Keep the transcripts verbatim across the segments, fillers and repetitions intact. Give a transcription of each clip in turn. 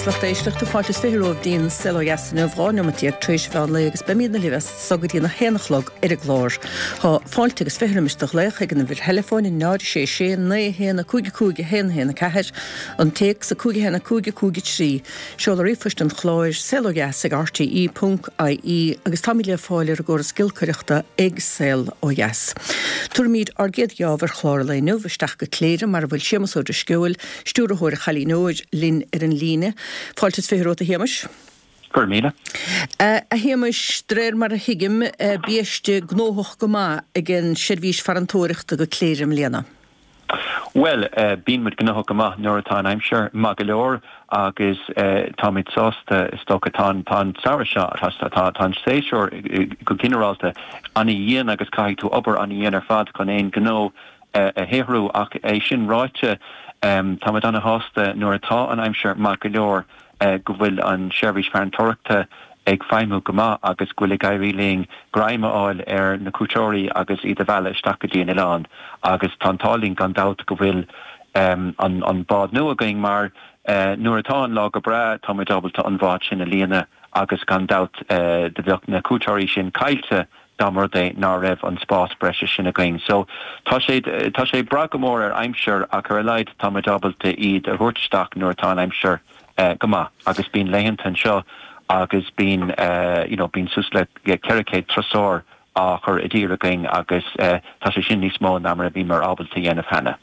Agus lucht éisteachta fáilte is fiche romhaibh dtí'n Saol Ó Dheas inniu dhá neomat déag tar éis mheán lae agus beimidne libh as so go dtí a haon a chlog ar an gclár. Tá fáilte agus fiche roimis do ghlaoch ag an uimhir theileafóin náid sé sé naoi haon a cúig cúig a haon haon a ceathair, an téacs a cúig haon a cúig cúig trí. Seoladh ríomhphoist an chláir saol ó dheas ag RTE ponc IE agus táimid le fáil ar an gcóras giolcaireachta ag Saol Ó Dheas. Tabharfaimid ár gcéad gheábh ar chlár an lae inniu isteach go Cléire mar a bhfuil Séamus Ó Drisceoil, stiúrthóir Chailín Óir linn ar an líne. Fáilte is fiche romhat a Shéamais. Gur míle. A Shéamais de réir mar a thuigim biaiste gnóthach go maith ag an seirbhís farantóireachta go Cléire i mbliana. Well, uh, bíonn muid gnóthach go maith nuair atá an aimsir maith go leor agus uh, táimid sásta is dócha tá tá an samhradh seo tá tá an séasúr go ginearálta an-dhian agus caithfidh tú obair an-dhian ar fad chun aon gnó uh, a shaothrú ach é sin ráite um, táimid an-shásta nuair atá an aimsir maith go leor uh, go bhfuil an seirbhís farantóireachta ag feidhmiú go maith agus go bhfuil ag éirí linn greim a fháil ar na cuairteoirí agus iad a mhealladh isteach go dtí an oileán agus tá an t-ádh linn gan dabht go bhfuil um, an, an bád nua againn mar uh, nuair atá an lá go breá táimid ábalta an bád sin a líonadh agus gan dabht uh, do bheadh na cuairteoirí sin caillte dá mba rud é ná raibh an spás breise sin againn. So tá sé tá sé brath go mór ar aimsir ach ar a laghad táimid ábalta iad a thabhairt isteach nuair atá an aimsir uh, go maith agus bíonn laethanta anseo agus bíonn uh, you know, bíonn suas le ceithre chéad turasóir á chur i dtír againn agus uh, tá sé sin níos mó ná mar a bhíomar ábalta dhéanamh cheana.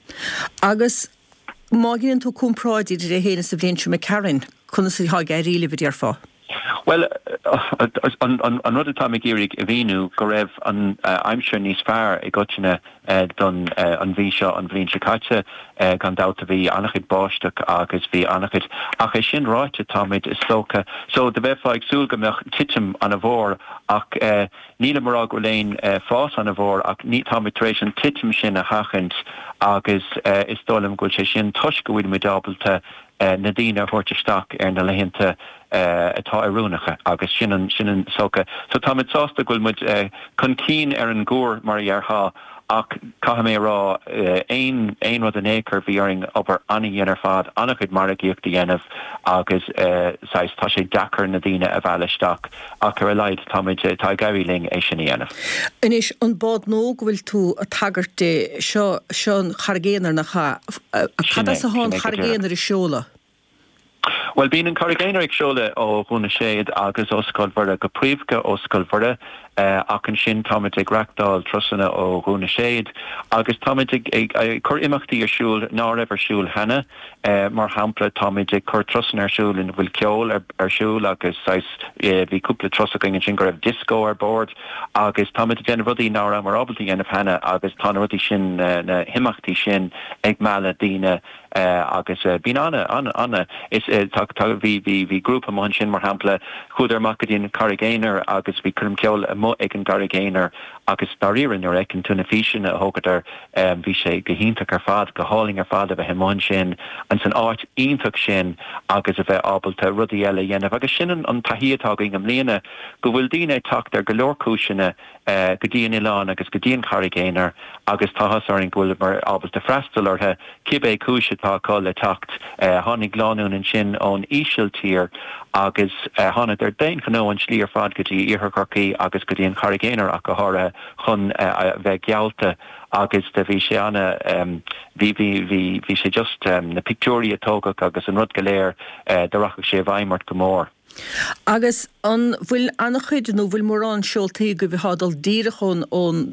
Agus má dhéanann tú comparáid idir é féin is an bhliain seo imigh tharainn, conas atá ag éirí libh a déarfá. Well an, an, an rud atá ag iarraidh a mhíniú go raibh an uh, aimsir níos fearr i gcoitinne uh, don uh, an mhí seo an bhliain seo caite uh, gan dabht a bhí an-chuid báisteach agus bhí an-chuid ach é sin ráite táimid is dócha so do bheifeá ag súil go mbeadh titim an-mhór ach uh, níl mar go leon uh, fás an-mhór ach ní táimid tar éis an titim sin a sheachaint agus uh, is dóigh liom go bhfuil sé sin toisc go bhfuil muid ábalta uh, na daoine a thabhairt isteach ar na laethanta uh, atá oiriúnach agus sin an sin an socha. So táimid sásta go bhfuil muid uh, chun cinn ar an gcuar mar a déarfá ach caithfidh mé rá aon aon rud in écur bhí orainn obair an-dhian ar fad an-chuid margaíocht a dhéanamh agus saghas tá sé deacair na daoine a mhealladh isteach ach ar a laghad táimid tá ag éirí linn é sin a dhéanamh. Anois an bád nua go bhfuil tú ag tagairt di seo seo an Charraig Aonair nach ea cad as atá an Charraig Aonair ag seoladh. Well bíonn an Charraig Aonair ag seoladh ó Dhún na Séad agus ó Scoil Mhuire go príomha ó Scoil Mhuire uh, ach ansin táimid ag reáchtáil turasanna ó Dhún na Séad agus táimid ag, ag, ag cur imeachtaí ar siúl ná raibh ar siúl cheana uh, mar shampla táimid ag cur turasanna ar siúl ina bhfuil ceol ar, ar siúl agus uh, bhí cúpla turas againn sin go raibh disco ar bord agus táimid ag déanamh rudaí ná rabhamar ábalta dhéanamh cheana agus tá na rudaí sin uh, na himeachtaí sin ag mealladh daoine uh, agus uh, bíonn ana ana ana is uh, tá bhí bhí bhí grúpa amuigh ansin mar shampla chuadar amach go dtí an Charraig Aonair agus bhí coirm ceoil amuigh ag an gCarraig Aonair agus dáiríre nuair a fheiceann tú na físeanna a thógadar um, bhí sé go hiontach ar fad go hálainn ar fad a bheith amuigh ansin an san áit iontach sin agus a bheith ábalta rudaí eile dhéanamh agus sin an, an taithí atá againn i mbliana go bhfuil daoine ag teacht ar go leor cúiseanna uh, go dtí an oileán agus go dtí an Charraig Aonair agus tá áthas orainn go bhfuil muid ábalta freastal orthu cibé cúis atá acu le teacht uh, tháinig lánúin ansin ón Ísiltír agus uh, thángadar d'aon ghnó an slí ar fad go dtí iarthar Chorcaí agus go dtí an Charraig Aonair ach go háirithe chun uh, bheith geallta agus de bhí sé ana um, bhí bhí bhí bhí sé just um, na pictiúirí a tógadh agus an rud go léir uh, do rachadh sé i bhfeidhm ort go mór. Agus an bhfuil an-chuid nó bhfuil mórán seoltaí go bhí dul díreach ón ón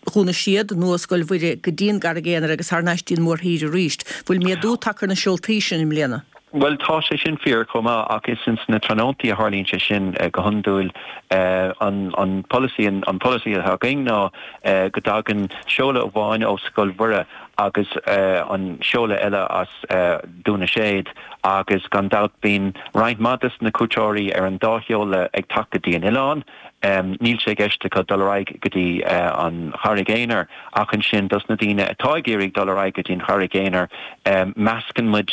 Dhún na Séad nó Scoil Mhuire go dtí an gCarraig Aonair agus thar n-ais dtí'n mórthír arís. Bhfuil méadú tagtha ar na seoltaí sin i mbliana. Well tá sé sin fíor chomh maith ach is ins na tráthnóntaí a tharlaíonn sé sin uh, go hiondúil uh, an, an policy an, an policy atá againn ná uh, go dtagann seoladh amháin ó Scoil Mhuire agus uh, an seoladh eile as uh, Dún na Séad agus gan dabht bíonn roinnt mhaith des na cuairteoirí ar an dá sheoladh ag teacht go dtí an oileán níl sé i gceist acu dul ar aghaidh go dtí an Charraig Aonair ach ansin dos na daoine atá ag iarraidh dul ar aghaidh go dtí an Charraig Aonair meascann muid,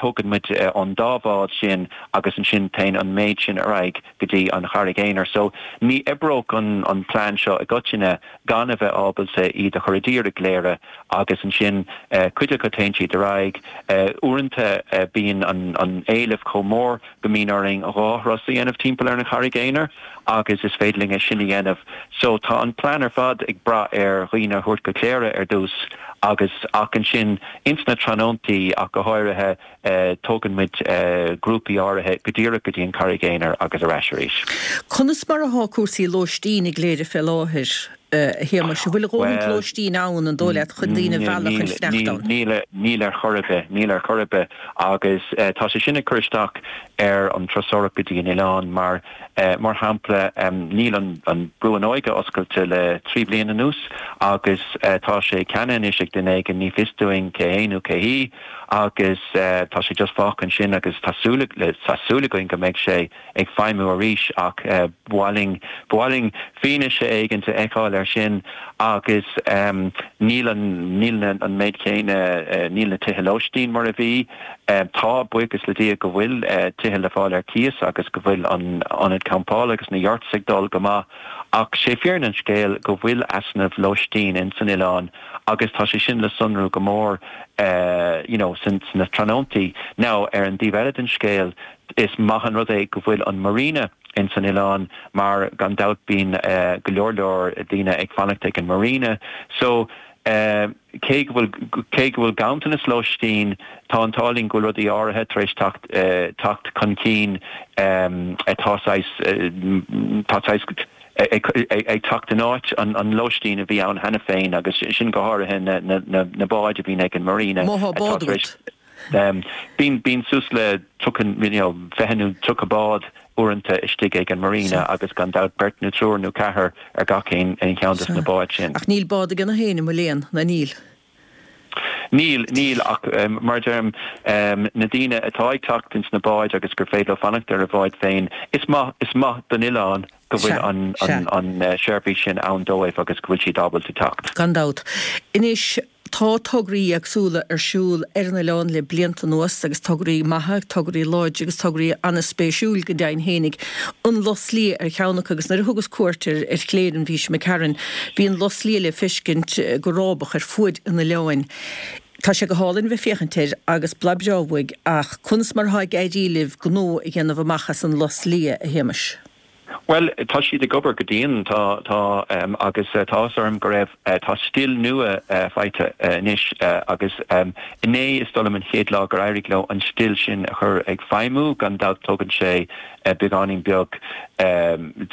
tógann muid an dá bhád sin agus ansin téann an méid sin ar aghaidh go dtí an Charraig Aonair. So ní oibreodh an an plean seo i gcoitinne gan a bheith ábalta iad a chur i dtír i gCléire agus ansin cuid acu téann siad ar aghaidh. Uaireanta bíonn an an éileamh chomh mór go mbíonn orainn dhá thuras a dhéanamh timpeall ar an Charraig Aonair agus is féidir linn é sin a dhéanamh. So tá an plean ar fad ag brath ar dhaoine a thabhairt go Cléire ar dtús agus ach ansin ins na tráthnóntaí ach go háirithe tógann muid grúpaí áirithe go díreach go dtí an Charraig Aonair agus ar ais arís. Conas mar atá cúrsaí lóistín i gCléire fé láthair, a Shéamais? An bhfuil a dhóthaint lóistín ann, an dóigh leat, chun daoine a mhealladh chun fanacht ann? Níl, níl ar chor ar bith, níl ar chor ar bith agus tá sé sin ag cur isteach ar an turasóireacht go dtí an oileán mar, mar shampla, níl an an Brú an Óige oscailte le trí bliana anuas agus tá sé ceannaithe anois ag duine éigin, ní fios dúinn cé hé nó cé hí agus tá sé just fágtha ansin agus tá súil tá súil againn go mbeidh sé ag feidhmiú arís ach ba mhaith linn ba mhaith linn fianaise éigin a fheiceáil air sin agus níl an níl an méid céanna níl na tithe lóistín mar a bhí. Tá buíochas le Dia go bhfuil tithe le fáil ar cíos agus go bhfuil an ionad campála agus na yurts ag dul go maith ach sé fírinne an scéil go bhfuil easnamh lóistín ins an oileán agus tá sé sin le sonrú go mór you know sna tráthnóntaí. Now ar an dtaobh eile den scéal is maith an rud é go bhfuil an marina ins an oileán mar gan dabht bíonn go leor leor daoine ag fanacht ag an marina so cé go bhfuil cé go bhfuil ganntanas lóistín tá an t-ádh linn go bhfuil rudaí áirithe tar éis teacht teacht chun cinn atá saghas tá saghas ag teacht in áit an lóistín a bhí ann cheana féin agus sin go háirithe na na na báid a bhíonn ag an marina Má tá bád agat. Bíonn bíonn suas le tríocha you know fiche nó tríocha bád uaireanta istigh ag an marina agus gan dabht beirt nó triúr nó ceathrar ar gach aon cheann de na báid sin. Ach níl bád ag gach éinne, mo léan, ná níl? Níl, níl ach mar a deirim, na daoine atá ag teacht ins na báid agus gur féidir leo fanacht ar a bháid féin, is maith, is maith don oileán go bhfuil an, an, an seirbhís sin ann dóibh agus go bhfuil siad ábalta teacht. Gan dabht. Anois, tá tograí éagsúla ar siúl ar an oileán le blianta anuas agus tograí maithe, tograí láidre agus tograí an-spéisiúil go deimhin fhéinig. An Lus Liath ar cheann acu agus nuair a thugas cuairt ar ar Chléire an mhí seo imigh tharainn, bhí an lus liath le feiscint go rábach ar fuaid an oileáin. Tá sé go hálainn bheith féachaint air agus blas breá uaidh ach conas mar atá ag éirí libh gnó a dhéanamh amach as an lus liath, a Shéamais? Bhuel, tá siad ag obair go dian, tá, tá, agus tá áthas orm go raibh, tá stil nua faighte anois agus inné is dóigh liom an chéad lá gur éirigh leo an stil sin a chur ag feidhmiú, gan dabht tógann sé beagáinín beag,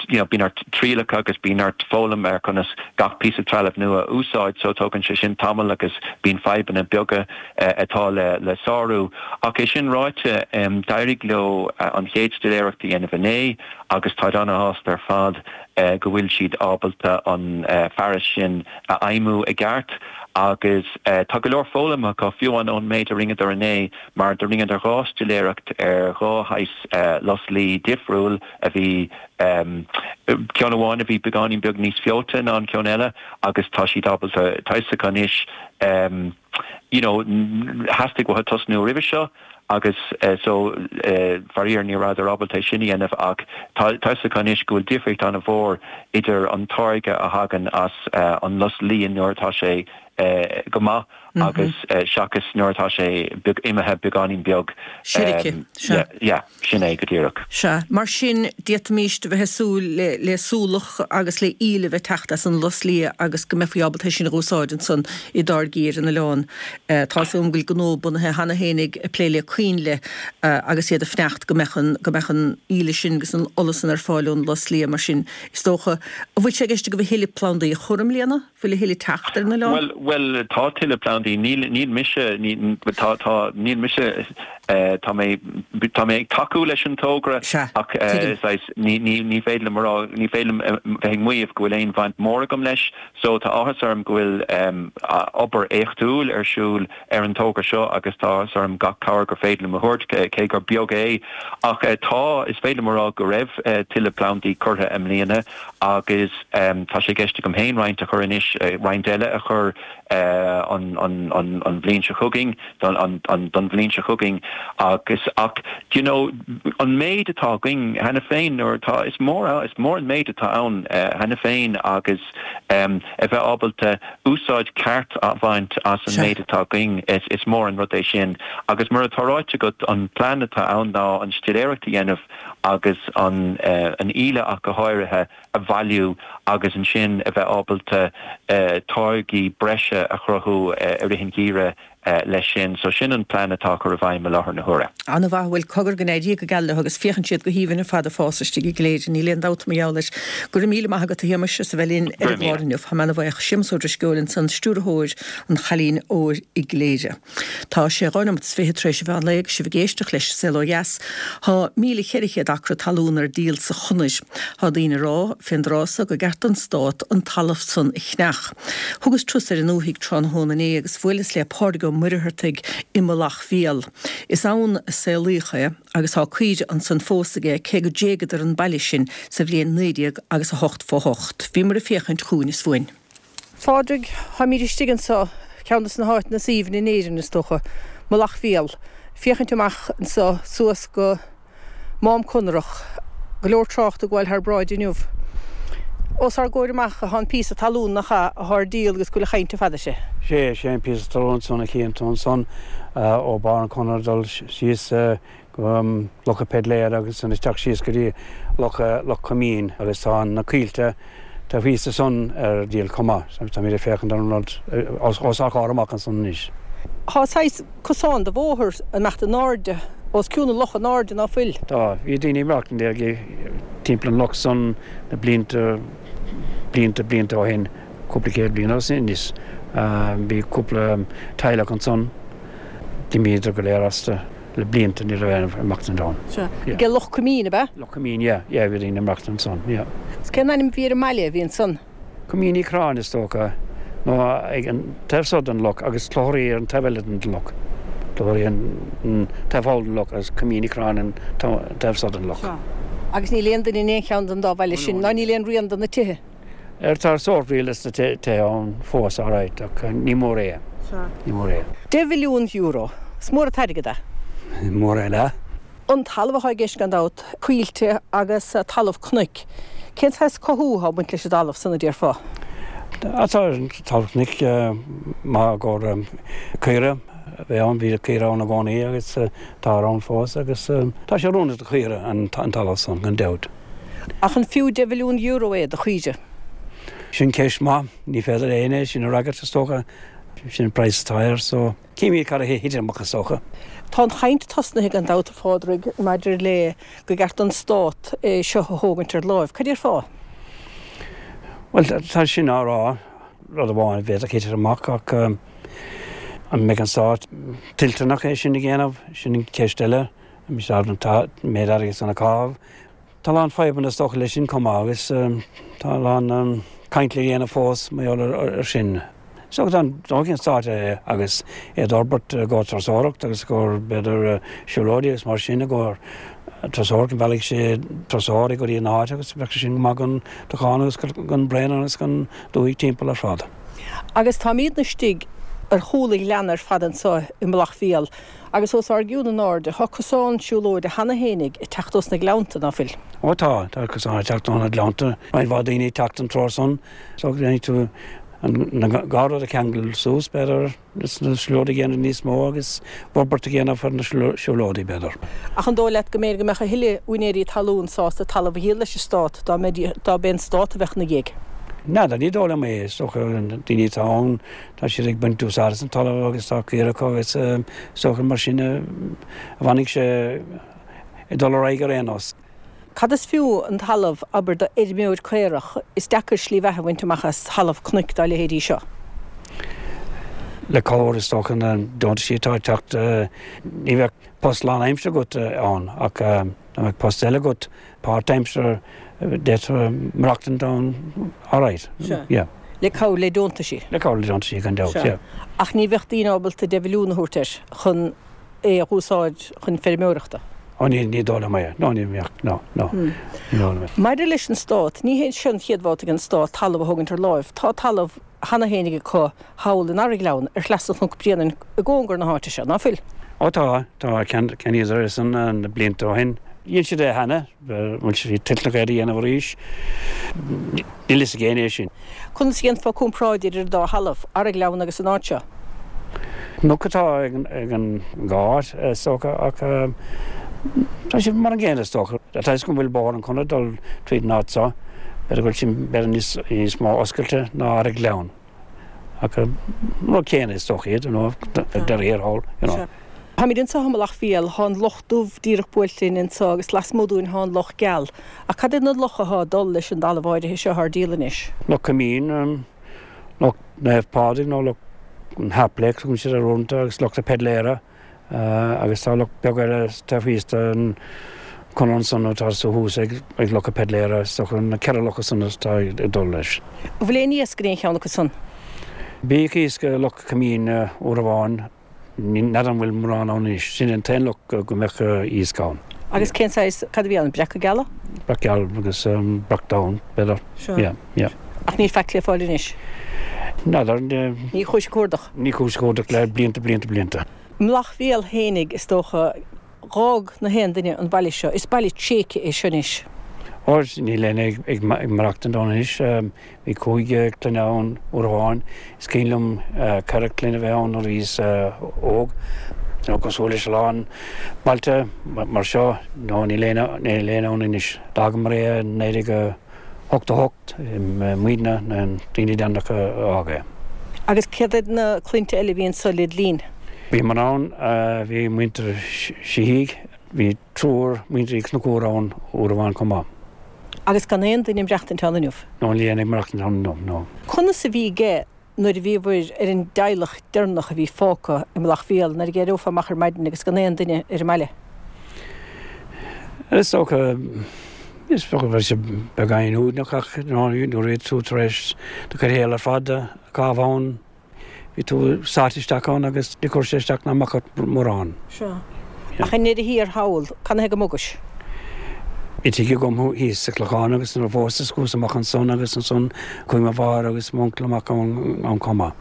you know, bíonn ort trialacha agus bíonn ort foghlaim ar conas gach píosa trealamh nua a úsáid so tógann sé sin tamall agus bíonn fadhbanna beaga atá le le sárú. Ach é sin ráite, d'éirigh leo an chéad stiléireacht a dhéanamh inné agus táid ana-shásta ar fad go bhfuil siad ábalta an fearas sin a fheidhmiú i gceart agus tá go leor foghlamtha acu fiú amháin ón méid a rinneadar inné mar do rinneadar dhá stiléireacht ar dhá shaghas lus liath difriúil a bhí ceann amháin a bhí beagáinín beag níos feoite ná an ceann eile agus tá siad ábalta tá a fhios acu anois you know theastaigh uathu tosnú roimhe seo agus so faraor ní rabhadar ábalta é sin a dhéanamh ach tá a fhios acu anois go bhfuil difríocht an-mhór idir an táirge a thagann as an lus liath nuair atá sé go maith agus seachas nuair atá sé imithe beagáinín beag. Seirce, sea. Yeah, sin é go díreach. Sea. Mar sin, d'fhéadfaimíst a bheith ag súil le súlach agus le íle a bheith ag teacht as an lus liath agus go mbeifí ábalta é sin a dh'úsáid ansan i dtáirgí ar an oileán. Tá 'fhios agam go bhfuil gnó bunaithe cheana féin ag plé le coinnle agus iad ag fanacht go mbeadh an, go mbeadh an íle sin agus an ola san ar fáil ón lus liath. Mar sin, is dócha, an bhfuil sé i gceist agaibh a thuilleadh plandaí a chur i mbliana? Bhfuil a thuilleadh ag teacht ar an oileán? Bhuel, bhuel, tá tuilleadh plandaí. Níl, níl mise, ní, tá, tá, níl mise Tá mé tá mé ag tacú leis an togra ach ní ní féidir liom rá ní féidir liom bheith ag maíomh go bhfuil aon bhaint mór agam leis, so tá áthas orm go bhfuil obair éachtúil ar siúl ar an togra seo agus tá áthas orm gach cabhair gur féidir liom a thabhairt cé gur beag é ach tá is féidir liom a rá go raibh tuilleadh plandaí curtha i mbliana agus tá sé i gceist agam féin roinnt a chur anois roinnt eile a chur an an an an bhliain seo chugainn don an an don bhliain seo chugainn agus ach you know an méid atá againn cheana féin nuair atá is mór is mór an méid atá ann cheana féin agus um, a bheith ábalta úsáid ceart a bhaint as an méid atá againn is, is mór an rud é sin agus mar atá ráite agat an plean atá ann ná an stiléireacht a dhéanamh agus an uh, an íle ach go háirithe a bhailiú agus ansin a bheith ábalta uh, táirgí breise a chruthú uh, i rith an gheimhridh uh, leis sin, so sin an plean atá chur i bhfeidhm i láthair na huaire. An-mhaith bhfuil cogar go n-éirí go geal leo agus féachann siad go haoibhinn ar fad ag fás istigh i gCléire níl aon dabht mar gheall air. Go raibh míle maith agat a Shéamais as a bheith linn ar an gclár inniu. Tá mé an-bhuíoch Séamus Ó Drisceoil ansan stiúrthóir an Chailín Óir i gCléire. Tá sé dhá nóiméad is fiche tar éis an mheán lae agus sibh ag éisteacht leis Saol Ó Dheas. Tá míle ceithre chéad acra talún ar díol sa Chonair. Tá daoine ag rá fén dtráth so gur ceart don stát an talamh san a cheannach. Thugas turas ar an ndúthaigh tráthnóna inné agus bhuaileas le Pádraig Ó Muircheartaigh i Mullach Mhíl. Is ann a saolaíodh é agus tá caoire ansan fós aige cé go dtréigeadar an baile sin sa bhliain naoi déag agus a hocht fó hocht. Bhíomar ag féachaint chugainn is fúinn. Phádraig, táimid istigh anseo, ceann de na háiteanna is aoibhne in Éirinn is dócha, Mullach Mhíl. Féachaint amach anseo suas go Mám Conrach, go leor trácht ag gabháil thar bráid inniu. Os ár gcomhair amach atá an píosa talún nach ea atá ar díol agus go bhfuil chaint fada sé. Sé sé an píosa talún san a chíonn tú ansan ó Barr an Chonair dul síos go Loch an Pheidléara agus an isteach síos go dtí Loch Loch Coimín agus tá na coillte tá píosa san ar díol chomh maith, táimid ag féachaint ar an rud os ár gcomhair amach ansan anois. Tá saghas cosán de bhóthar amach in airde os cionn an locha in airde ná fuil. Tá, bhí daoine ag maireachtaint timpeall an loch san na blianta blianta blianta ó shin, cúpla céad bliain ó shin anois. Bhí cúpla teaghlach ansan, d'imíodar go léir astu le blianta ní raibh ag maireachtaint ann. Sea, ag Loch Coimín, ab ea? Loch Coimín, yeah, yeah, bhí daoine ag maireachtaint ansan, yeah. Is cén ainm a bhí ar an mbaile a bhí ansan? Coimín Uí Chorráin is dócha, nó ag an taobh so den loch agus Cloch Rí ar an taobh eile den loch. Cloch Rí an taobh thall den loch agus Coimín Uí Chorráin an taobh so den loch. Sea. Agus níl aon duine in aon cheann den dá bhaile sin, ná níl aon rian de na tithe? Ar tá sórt rian de na tithe ann fós, alright, ach ní mór é. Sea. Ní mór é. Deich mhilliún euro. Is mór an t-airgead é. Mór é le. An talamh atá i gceist gan dabht, coillte agus talamh cnoic. Cén saghas cothú atá ag baint leis an dtalamh san a déarfá? Tá talamh cnoic maith i gcomhair caora a bheith ann, bhí caora ann i gcónaí agus tá ann fós agus tá sé oiriúnach do chaora an talamh san gan dabht. Ach an fiú deich mhilliún euro é do chaoire? Sin ceist maith, ní féidir éinne é sin a fhreagairt is dócha. Sin an praghas atá air so címid cad a thiteann amach is dócha. Tá an chaint tosnaithe gan dabht a Phádraig maidir le go gceart don stát é seo a thógaint ar láimh. Cad déarfá? Bhuel tá sin á rá, rud amháin a bhféadfadh titim amach ach an mbeidh an stát toilteanach é sin a dhéanamh, sin an ceist eile. An mbeidh siad ábalta an méid airgid san a chaitheamh? Tá a lán fadhbanna is dócha leis sin chomh maith agus tá a lán caint le dhéanamh fós mar gheall ar sin. So dá dtógfadh an stát é agus é d'fhorbairt i gcomhair turasóireacht agus i gcomhair b'fhéidir siúlóidí agus mar sin i gcomhair turasóireacht, mheallfadh sé turasóirí go dtí an áit agus bheadh sé sin go maith don Chlochán agus don Bhraonán agus don dúthaigh timpeall ar fad. Agus táimidne istigh ar chúl an ghleanna ar fad anseo i Mullach Mhíl agus os ár gcionn in airde tá cosán siúlóide cheana fhéinig ag teacht ós na gleannta, ná fuil? Ó tá, tá cosán ag teacht ó na gleannta. Roinnt mhaith daoine ag teacht an treo san so déanfaidh tú an dhá rud a cheangal suas, b'fhéidir, is na siúlóidí a dhéanamh níos mó agus forbairt a dhéanamh ar na siúlóidí, b'fhéidir. Ach an dóigh leat go mb'fhéidir go mbeadh a thuilleadh úinéirí talún sásta talamh a dhíol leis an stát dá dá b'é an stát a bheadh ina dhiaidh? N'fheadar, ní dóigh liom é. Is dócha na daoine atá ann, tá siad ag baint úsáid as an talamh agus tá caora acu agus is dócha mar sin a bhfanfaidh sé ag dul ar aghaidh ar aon nós. Cad is fiú an talamh, abair, do fheirmeoir caorach? Is deacair slí bheatha a bhaint amach as talamh cnoic dá leithéidí seo. Le cabhair is dócha na deontaisí atá ag teacht, ní bheadh post lánaimseartha agat ann ach dá mbeadh post eile agat páirtaimseartha d'fhéadfá maireachtaint ann alright. Sea. Yeah. Le cabhair le deontaisí. Le cabhair le deontaisí gan dabht, Sea. yeah. Ach ní bheadh daoine ábalta deich mhilliún a thabhairt air chun é a dh'úsáid chun feirmeoireachta. Ó ní ní dóigh liom é. No ní bheadh, no, no. Ní dóigh liom é. Maidir leis an Stát, ní hé seo an chéad bhabhta ag an Stát talamh a thógaint ar láimh. Tá talamh cheana fhéinig acu thall in Araghleann ar shleasa Chnoc Bréanainn i gcóngar na háite seo, ná fuil? Ó tá, tá, cheannaíodar é san na blianta ó shin. Dhein siad é cheana, bhfuil siad toilteanach é a dhéanamh arís. Níl fhios ag éinne é sin. Conas a dhéanfá comparáid idir an dá thalamh, Araghleann agus an áit seo? Cnoc atá ag an dhá áit, is dócha, ach tá siad mar an gcéanna, is dócha. Tá fhios agam go bhfuil Bóthar an Chonradh ag dul tríd an áit seo, b'fhéidir go bhfuil sin b'fhéidir níos, níos mó oscailte ná Araghleann. Ach an rud céanna is dócha iad, you know, dáiríre thall, you know. Táimid anseo i Mullach Mhíl, thá an Loch Dubh díreach buailte linn anseo agus lasmuigh dúinn thá an Loch Geal. Ach cad iad na locha athá ag dul leis an dtalamh áirithe seo ar díol anois? Loch Coimín, Loch Naomh Pádraig nó Loch an Haplake, tugann siad air uaireanta, agus Loch na Peidléara agus tá loch beag eile taobh thíos den Chonradh ansan atá thuas ag Loch na Peidléara, is dócha na ceithre locha san atá ag dul leis. An bhfuil aon iasc in aon cheann acu san? Bhíodh iasc i Loch Coimín uair amháin, n'fheadar an bhfuil mórán ann anois. Sin an t-aon loch go mbeadh iasc ann. Agus cén saghas, cad a bhí ann, breaca geala? Breac geal agus breac donn, b'fhéidir. Sure. Yeah, yeah. Ach níl faic le fáil anois? N'fheadar. Ní chuais ag cuardach? Ní chuais ag cuardach le blianta, blianta, blianta. Mullach Mhíl fhéinig, is dócha, dh'fhág na haon duine an baile seo. Is baile tréigthe é seo anois. Ó, níl éinne ag maireachtaint ann anois. Bhí cúig clainne ann uair amháin. Is cuimhin liom ceithre clainne a bheith ann nuair a bhíos óg. Cosúil leis a lán bailte mar seo, no níl éinne ann anois. D'fhágamar é i naoi déag ochtó hocht, muidne na daoine deireanacha a d'fhág é. Agus céard iad na clainnte eile a bhí anso led linn? Bhíomar ann, bhí muintir Sheehy, bhí triúr muintir Uí Chonchúir ann uair amháin chomh maith. Agus gan aon duine ag maireachtaint ann inniu? No, níl éinne ag maireachtaint ann inniu, no. Conas a bhí aige nuair a bhíobhair ar an dteaghlach deireanach a bhí fágtha i Mullach Mhíl, nuair a d'éireofá amach ar maidin agus gan aon duine ar an mbaile? Is dócha, is dócha go raibh sé beagáinín uaigneach ach nuair a bhí tú tar éis do chuid shaoil ar fad a chaitheamh ann, bhí tú sáite isteach ann agus ní chuir sé isteach ná amach ort mórán. Sea. Ach i ndeireadh thiar thall, cad ina thaobh go mbogais? Bhí tigh agam thíos sa Chlochán agus nuair a phósas chuas amach ansan agus ansan chuaigh mo mháthair agus m'uncail amach ann chomh maith.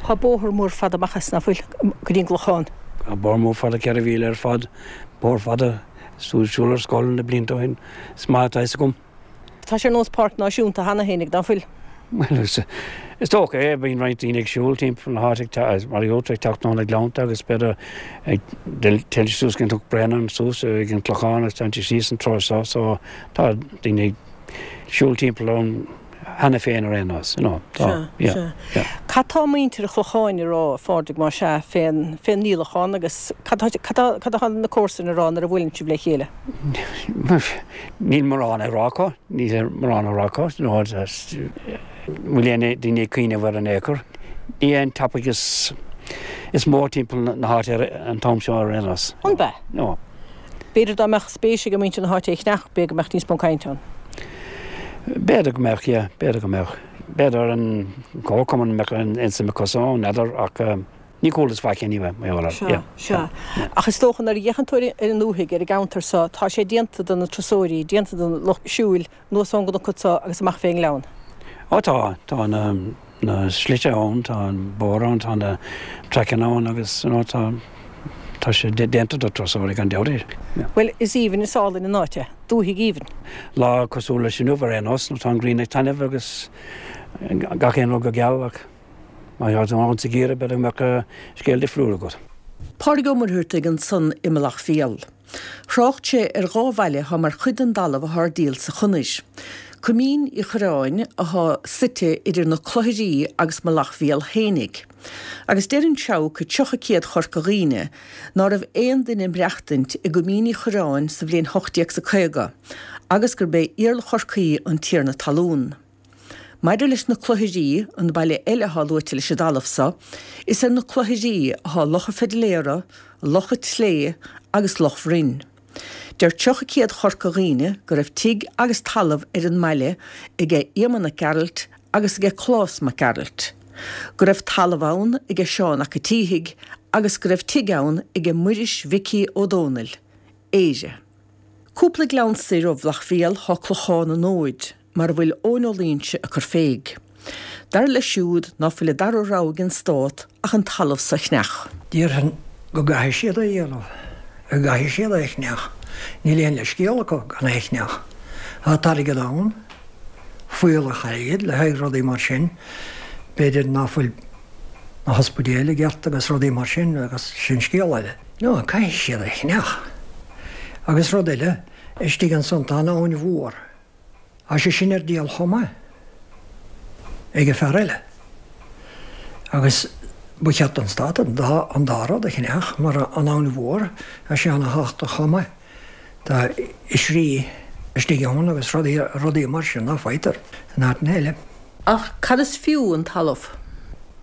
Tá bóthar mór fada amach as, ná fuil, go dtí an gClochán? Tá bóthar mór fada, ceithre mhíle ar fad, bóthar fada, is tú ag siúl ar scoil na blianta ó shin, is maith atá fhios agam. Tá sé ar nós páirc náisiúnta cheana fhéinig, ná fuil? Bhuel, is dócha é, bíonn roinnt daoine ag siúl timpeall na háite ag, mar a gheobhaidh tú ag teacht ó na gleannta agus b'fhéidir ag téann siad suas go Cnoc Bréanainn suas ag an Clochán agus téann siad síos an treo seo so tá daoine ag siúl timpeall ann cheana féin ar aon nós, you know, tá, Sea, yeah, sea. yeah. Cad tá muintir an Chlocháin a rá, a Phádraig, más ea, fén, fén ndíolachán agus cad tá, cad tá, cad atá na comharsain a rá nuair a bhuaileann sibh le chéile? Níl mórán á rá acu, níl mórán á rá acu, you know, bhfuil aon daoine ag cuimhneamh air in aon chor. Ní hé an topic is, is mó timpeall na háite ar an t-am seo ar aon nós. An b'ea? No. B'fhéidir dá mbeadh spéis ag muintir na háite é a cheannach, b'fhéidir go mbeadh níos mó cainte ann. B'fhéidir go mbeadh, yeah, b'fhéidir go mbeadh. B'fhéidir an comharchumann mbeadh aon suim acu ann, n'fheadar, ach ní chualas faic anyway, mar gheall air. Sea, Yeah, sea. yeah. Ach is dócha nuair a fhéachann tú ar an ndúthaigh, ar an gceantar seo, tá sé déanta do na turasóirí, déanta don lucht siúil, anuas ón gcnoc seo agus amach fén ngleann. Ó tá, tá na, na slite ann, tá an bóthar ann, tá na traiceanna ann agus, you know, tá, tá sé déanta do turasóirí gan dabht. Yeah. Bhuel, is aoibhinn, is álainn an áit é. Dúthaigh aoibhinn. Lá cosúil leis inniu ar aon nós, nó tá an ghrian ag taitneamh agus gach aon rud go geal ach má tá tú ann sa gheimhreadh b'fhéidir go mbeadh scéal difriúil agat. Pádraig Ó Muircheartaigh ansan i Mullach Mhíl. Thrácht sé ar dhá bhaile atá mar chuid den dtalamh atá ar díol sa chonair. Coimín Uí Chorráin atá suite idir na Clochairí agus Mullach Mhíl fhéinig. Agus deir an Seabhac tríocha Céad Chorca Dhuibhne ná raibh aon duine ag maireachtaint i gCoimín Uí Chorráin sa bhliain hocht déag 's a caoga agus gurb é Iarla Chorcaí an tiarna talún. Maidir leis na Cloicheirí, an baile eile atá luaite leis an dtalamh so, is ar na Cloicheirí atá Loch an Pheidléara, Loch an tSlé agus Loch Bhroin. Deir tríocha Céad Chorca Dhuibhne go raibh tigh agus talamh ar an mbaile aige Éamonn Mac Gearailt agus aige Clás Mac Gearailt, go raibh talamh ann aige Seán 'ac a' tSíthigh agus go raibh tigh ann aige Muiris Mhicí Ó Dónaill, Éire. Cúpla gleann soir ó Bhealach Bhéal thá Clochán an Fhóid, mar a bhfuil Eoin Ó Loingsigh ag cur féig. Dar leis siúd ná fuil an dara rogha ag an Stát ach an talamh so a cheannach. Déarfainn go gcaithfidh siad é a dhéanamh, go gcaithfidh siad é a cheannach. Níl aon leithscéal acu gan é a cheannach. Tá an t-airgead ann, fuíollach airgid le haghaidh rudaí mar sin. B'fhéidir ná fuil na hospidéil i gceart agus rudaí mar sin agus sin scéal eile. No, caithfidh siad é a cheannach. Agus rud eile, istigh ansan tá an Abhainn Mhór. Tá sé sin ar díol chomh maith ag fear eile. Agus ba cheart don Stát an dá an dá rud a cheannach, mar an Abhainn Mhór, tá sé ana-thábhachtach chomh maith. Tá oisrí istigh ann agus rudaí rudaí mar sin ná faightear in áiteanna eile. Ach cad is fiú an talamh?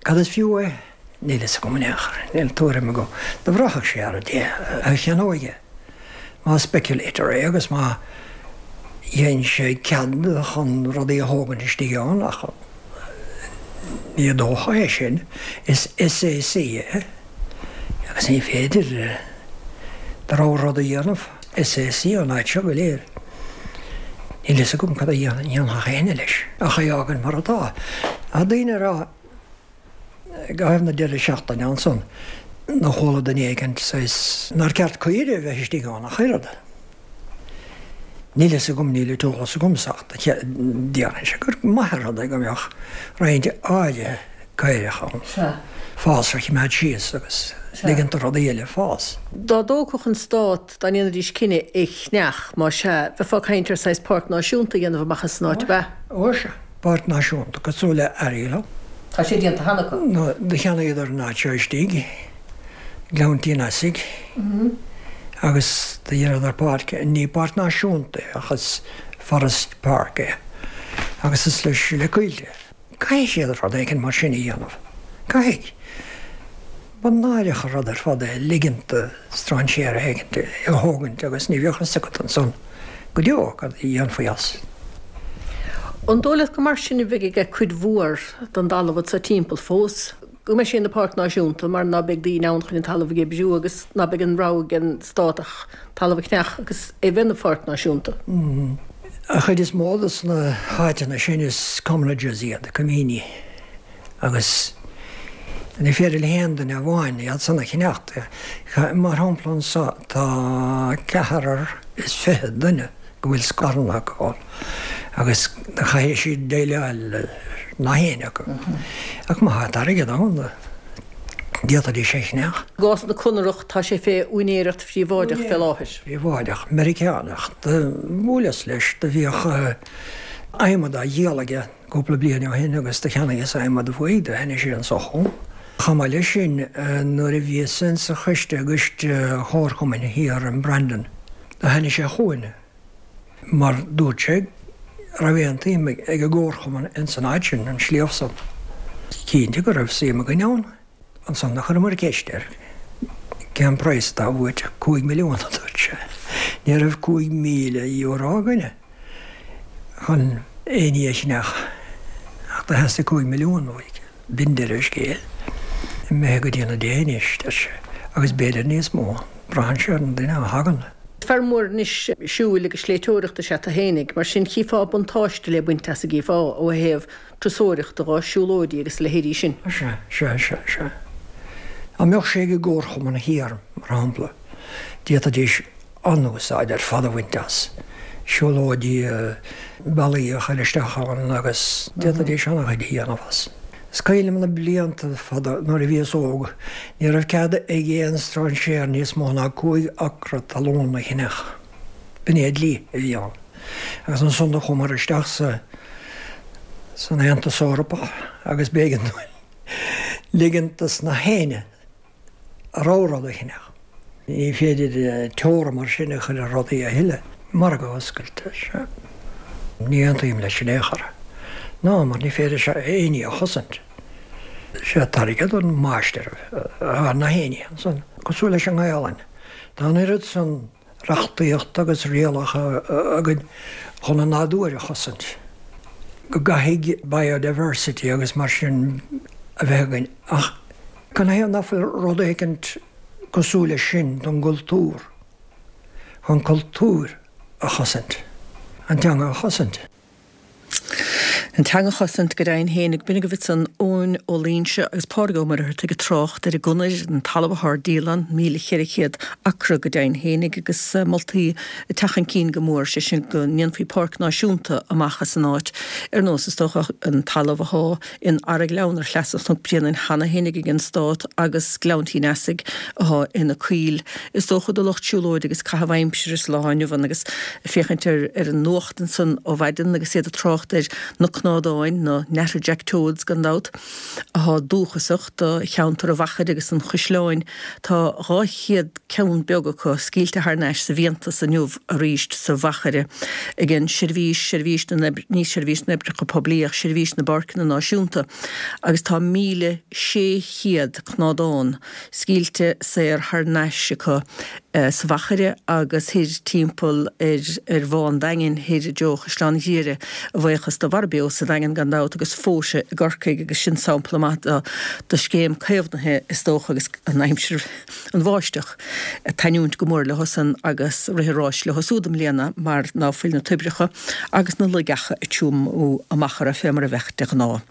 Cad is fiú é? Níl fhios agam in aon chor, níl tuairim agam. Do bhraithfeadh sé ar an té a cheannóidh é. Más speculator é agus má dhein sé cead chun rudaí a thógaint istigh ann, ach ní dócha é sin, is SAC é agus ní féidir do rogha rud a dhéanamh. SAC an áit seo go léir. Níl fhios agam cad a dhéanfadh éinne leis ach é a fhágaint mar atá. Tá daoine ag rá i gcaitheamh na deireadh seachtaine ansan do chuala duine éigint saghas nár ceart caoire a bheith istigh ann ach oiread. Níl fhios agam, níl an t-eolas agamsa ach déarfainnse gur maith an rud é go mbeadh roinnt áirithe caorach ann. Fásra a choimeád síos agus ligint do rudaí eile fás. Dá dtógfadh an Stát, dá ndéanfaidís cinneadh é a cheannach, más ea, bheifeá ag caint ar saghas páirc náisiúnta a dhéanamh amach as an áit, ab ea? Ó sea, páirc náisiúnta, cosúil le Airéal. Tá sé déanta cheana acu. No, do cheannaíodar an áit seo istigh, Gleann Tí an Easaigh, agus do dheineadar páirc, ní páirc náisiúnta é ach is forest park é, agus is leis le coillte. Caithfidh siad rud éigin mar sin a dhéanamh. Caithfidh. Ba náireach an rud ar fad é ligint do strainséir éigint é a thógaint agus ní bheadh fhios agat ansan go deo cad a dhéanfaí as. An dóigh leat gur mar sin a bheidh aige cuid mhór den dtalamh anso timpeall fós, go mbeidh sé ina pháirc náisiúnta mar ná beidh daoine ann chun an talamh a oibriú agus ná beidh an rogha ag an stát ach talamh a cheannach agus é bheith ina pháirc náisiúnta? An chuid is mó de na háiteanna sin is commonages iad, coimíní, agus ní féidir le haon duine amháin iad san a cheannacht. Mar shampla anso tá ceathrar is fiche duine go bhfuil scaireanna acu ann agus caithfidh siad déileáil le nach éinne acu. Ach má tá an t-airgead ann, d'fhéadfaidís é a cheannach. I gcás na Conarach, tá sé fé úinéireacht phríobháideach fé láthair. Príobháideach, Meiriceánach. Do bhuaileas leis, do bhíodh adhmad á dhíol aige cúpla bliain ó shin agus do cheannaíos adhmad uaidh, do tháinig sé anso chugam. Chomh maith leis sin, nuair a bhíos insa choiste i gcoiste chomharchumainn thiar i mBrandon, do tháinig sé chugainn mar dúirt sé go raibh aon tsuim ag an gcomharchumann insan áit sin, an sliabh san. Cinnte go raibh suim againn ann. Ansan do chuireamar ceist air cén praghas atá uait. Cúig milliún, a dúirt sé. Ní raibh cúig míle euro againne chun aon ní a cheannach ach do theastaigh cúig milliún uaidh. B'in deireadh an scéil. Imithe go dtí na déithe anois, deir sé, agus b'fhéidir níos mó. Braitheann sé ar an duine a thagann. Fear mór anois siúil agus sléibhteoireachta is ea tú fhéinig, mar sin chífeá buntáiste le baint as an gcífeá ó thaobh turasóireachta dho, siúlóidí agus a leithéidí sin. Sea, sea, sea, sea. Dá mbeadh sé ag an gcomharchumann thiar, mar shampla, d'fhéadfaidís an-úsáid ar fad a bhaint as, siúlóidí, bealaí a chur isteach ann agus d'fhéadfaidís an-chuid a dhéanamh as. Is cuimhin liom na blianta fada nuair a bhíos óg, ní raibh cead ag aon strainséir níos mó ná cúig acra talún a cheannach. B'in é an dlí a bhí ann. Agus ansan do chuamar isteach sa san Aontas Eorpach agus b'éigean dúinn ligint dos na héinne a rogha rud a cheannach. Ní féidir teora mar sin a chur ar rudaí a thuilleadh. Margadh oscailte, sea. Ní aontaím leis in aon chor. Ná mar ní féidir sé éinne a chosaint. Sé an t-airgead an máistir ar na héinne ansan, cosúil leis an nGaelainn. Tá an oiread san reachtaíocht agus rialacha againn chun an nádúr a chosaint. Go gcaithfidh biodiversity agus mar sin a bheith againn ach canathaobh nach bhfuil rud éicint cosúil leis sin don gcultúr, chun cultúr a chosaint, an teanga a chosaint. An teanga a chosaint go deimhin féin ag b'in agaibh ansan Eoin Ó Loingsigh agus Pádraig Ó Muircheartaigh ag trácht ar an gconair, an talamh atá ar díol ann, míle cheithre chéad acra go deimhin féinig agus moltaí ag teacht chun cinn go mór, sé sin go ndéanfaí páirc náisiúnta amach as an áit ar nós is dócha an talamh atá in Araghleann ar shleasa Chnoc Bréanainn cheana féinig ag an Stát agus Gleann Tí an Easaigh atá ina coill is dócha do lucht siúlóide agus caitheamh aimsire sa lá inniu ann agus féachaint ar ar an nuacht ansan ó mhaidin agus iad ag trácht ar na cnádáin, na natterjack toads gan dabht, atá dúchasach do cheantar an Mhachaire agus an Chaisleáin. Tá dhá chéad ceann beag acu scaoilte thar n-ais sa bhfiántas inniu arís sa Mhachaire ag an seirbhís, seirbhís na n-oibr, ní seirbhís na n-oibreacha poiblí ach seirbhís na bPáirceanna Náisiúnta agus tá míle sé chéad cnádán scaoilte saor thar n-ais acu sa Mhachaire agus thoir timpeall ar ar Bhá an Daingin thoir i dtreo Chaisleán Ghriaire, a bhuíochas do Mhara Beo sa Daingean gan dabht agus Fóise i gCorcaigh agus sin sampla maith de de scéim caomhnaithe is dócha agus an aimsir, an bháisteach, ag taitniúint go mór leosan agus rith an ráis leo súd i mbliana mar ná fuil na toibreacha agus na loigeacha ag tiomú amach orthu fé mar a bheadh de ghnáth.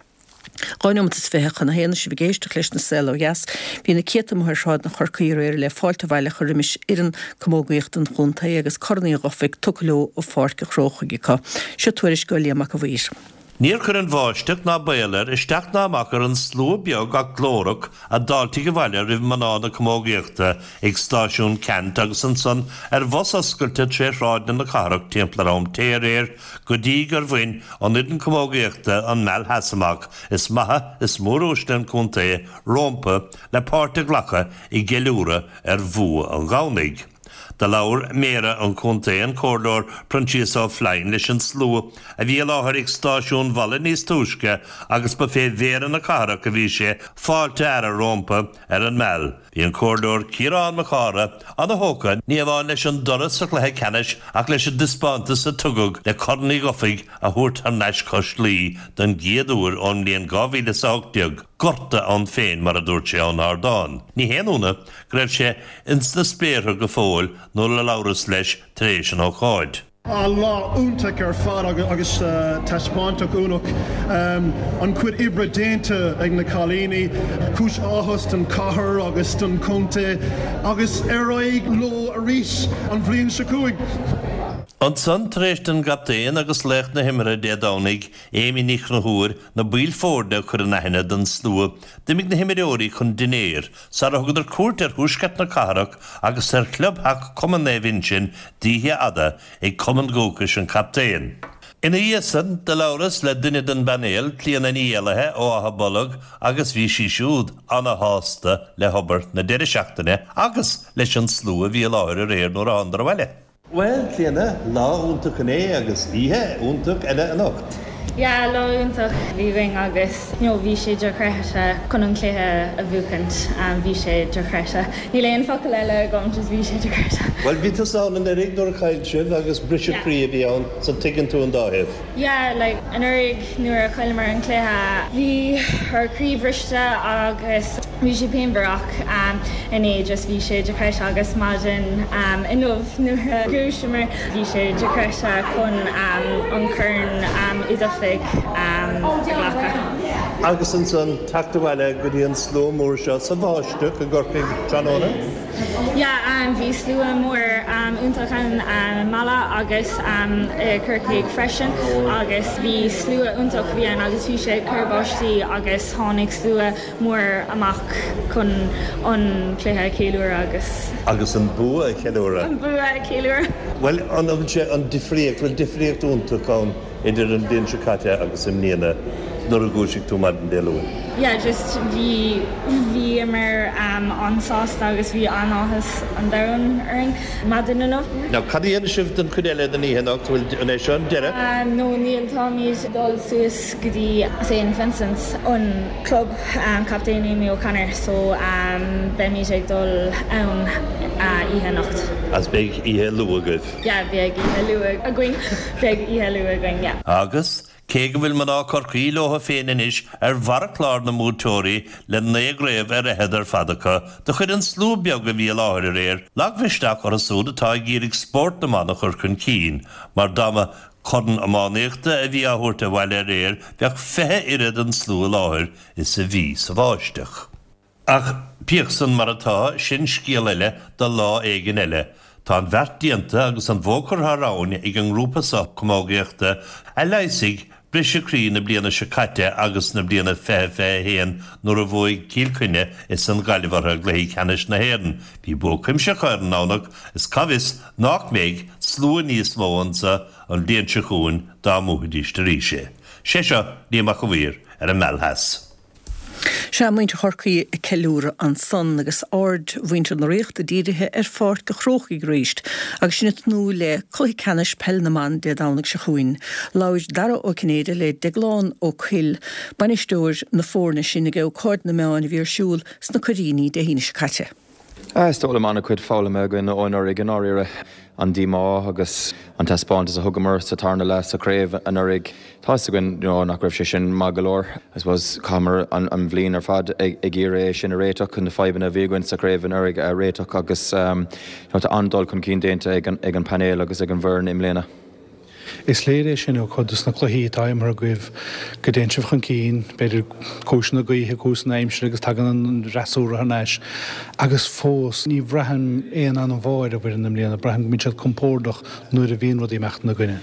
Dhá neomat is fiche chun a haon sibh ag éisteacht leis an Saol Ó Dheas. Bhí na céadta amuigh ar shráideanna Chorcaí aréir le fáilte abhaile a chur roimis fhoireann camógaíochta an chontae agus Corn Uí Dhufaigh tugtha leo ó Pháirc an Chrócaigh acu. Seo tuairisc ó Liam Mac a' Mhaoir. Níor chuir an bháisteach ná baol air isteach ná amach ar an slua beag ach glórach a d'fháiltigh abhaile roimh mná na camógaíochta ag stáisiún Ceannt agus ansan ar bhus oscailte tré shráideanna na cathrach timpeall ar am tae aréir go dtí gur bhain an fhoireann camógaíochta an Meal Theas amach is maithe is móruaisle an chontae rómpa le páirt a ghlacadh i gceiliúradh ar bhua an Dhomhnaigh. Do labhair Méara an Chontae, an Comhairleoir Proinsias Ó Floinn, leis an slua a bhí i láthair ag stáisiún Mhala níos túisce agus ba fé Mhéara na cathrach a bhí sé fáilte a fhearadh rómpa ar an Meal. Bhí an Comhairleoir Ciarán Mac Cártha ana-thógtha ní amháin leis an dtoradh sa chluiche ceannais ach leis an dtaispeántas a tugadh le Corn Uí Dhufaigh a thabhairt thar n-ais cois Laoi don gcéad uair ón mbliain dhá mhíle is a hocht déag. Gorta ann féin, mar a dúirt sé ón ardán. Ní haon ionadh go raibh sé ins na spéartha go fóill nuair a labhras leis tar éis an ócáid. Ah lá iontach ar fad agus taispeántas iontach. An chuid oibre déanta ag na cailíní, cúis áthas don chathair agus don chontae agus ar aghaidh leo arís an bhliain seo chugainn. Ansan, tar éis don gcaptaen agus laoch na himeartha Dé Domhnaigh, Amy Ní Chonchúir, na baill foirne a chur in aithne don slua, d'imigh na himreoirí chun dinnéir, sara thugadar cuairt ar thuaisceart na cathrach agus ar chlubtheach Cumann Naomh Uinseann d'oíche fhada ag cumann dúchais an chaptaein. Ina dhiaidh san, do labhras le duine den bpainéal, Clíona Ní Éallaithe ó Áth Bolg agus bhí sí siúd ana-shásta le hobair na deireadh seachtaine agus leis an slua a bhí i láthair aréir nuair a thánadar abhaile. Bhuel, Clíona, lá iontach inné agus oíche iontach eile anocht. Yeah, lá iontach a bhí againn agus you know bhí sé dochreidte chun an cluiche a bhuachaint, bhí sé dochreidte. Níl aon focal eile agam, just bhí sé dochreidte. Bhuel, bhí tusa ann anuraidh nuair a chaill sibh agus briseadh croí a bhí ann, so tuigeann tú an dá thaobh. Yeah, like anuraidh nuair a chailleamar an cluiche bhí ár croí bhriste agus bhí sé pianmhar ach inné just bhí sé dochreidte agus maidin inniu nuair a dhúiseamar bhí sé dochreidte chun an Corn Uí Dhufaigh a ghlacadh. Agus ansan teacht abhaile go dtí an slua mór seo sa bháisteach i gCorcaigh tráthnóna? Yeah, bhí slua mór iontach ann i Mala agus i Corcaigh freisin agus bhí slua iontach bhí ann agus bhí sé ag cur báistí agus tháinig slua mór amach chun an cluiche a cheiliúradh agus. Agus an bua a cheiliúradh. An bua a cheiliúradh. Bhuel, an bhfuil sé an difríocht, bhfuil difríocht iontach ann idir an bhliain seo caite agus i mbliana nuair a dhúisigh tú maidin Dé Luain? Yeah, just bhí bhíomar um, an-sásta agus bhí an-áthas an domhain orainn maidin inniu. Now cad a dhéanfaidh sibh den chuid eile den oíche anocht bhfuil an é seo an deireadh? Um, no níl táimid dul suas go dtí St Vincent's an club um, Captain Amy O'Connor so um, beimid ag dul ann uh, oíche anocht. As beidh oíche luath agaibh. Yeah, beidh oíche luath againn beidh oíche luath againn, yeah. Agus cé go bhfuil mná Chorcaí leo féin anois ar bharr chlár na mbuaiteoirí le naoi gcraobh ar fhichead ar fad acu, do chuir an slua beag a bhí i láthair aréir, lagmhisneach orthu siúd atá ag iarraidh spórt na mban a chur chun cinn, mar dá mba corn iománaíochta a bhí á thabhairt abhaile aréir bheadh fiche oiread an slua i láthair is a bhí sa bháisteach. Ach bíodh san mar atá sin scéal eile do lá éigin eile. Tá an bheart déanta agus an bhó curtha thar abhainn ag an ngrúpa seo camógaíochta a leigheasfaidh briseadh croí na bliana seo caite agus na bliana fiche fiche haon nuair a bhuaigh Cill Chainnigh is an Ghaillimh orthu i gcluichí ceannais na hÉireann. Bhí bua cuimsitheach ar an nDomhnach is cá bhfios nach mbeidh slua níos mó anseo an bhliain seo chugainn dá mbuafaidís arís é. Sé seo Liam Mac a' Mhaoir ar an Meal Theas. Sea muintir Chorcaí ag ceiliúradh ansan agus aird mhuintir na Ríochta dírithe ar Pháirc an Chrócaigh arís, agus sinn ag tnúth le cluiche ceannais peil na mban Dé Domhnaigh seo chugainn. Labhair Dara Ó Cinnéide le Deaglán Ó Cuill, bainisteoir na foirne sin ag ócáid na meán a bhí ar siúl sna Coiríní Dé hAoine seo caite. Is dóigh liom an-chuid foghlama againn ó anuraidh i ndáiríre an díomá agus an taispeántas a thugamar sa tarna leath sa chraobh anuraidh. Tá againn you know, nach raibh sé sin maith go leor. I suppose chaitheamar an, an bhliain ar fad ag, ag iarraidh é sin a réiteach chun na fadhbanna a bhí againn sa chraobh anuraidh a réiteach agus um, you know, tá an-dul chun cinn déanta ag an, ag an panel agus ag an bhfoireann i mbliana. Is léir é sin ó chuid de na cluichí atá imeartha agaibh go dtéann sibh chun cinn, b'fhéidir cúiseanna gaoithe cúiseanna aimsire agus tagann an fhreasúra thar n-ais. Agus fós ní bhraithim aon anbhá ar an bhfoireann i mbliana, braithim go mbíonn siad compordach nuair a bhíonn rudaí ag imeacht ina gcoinne.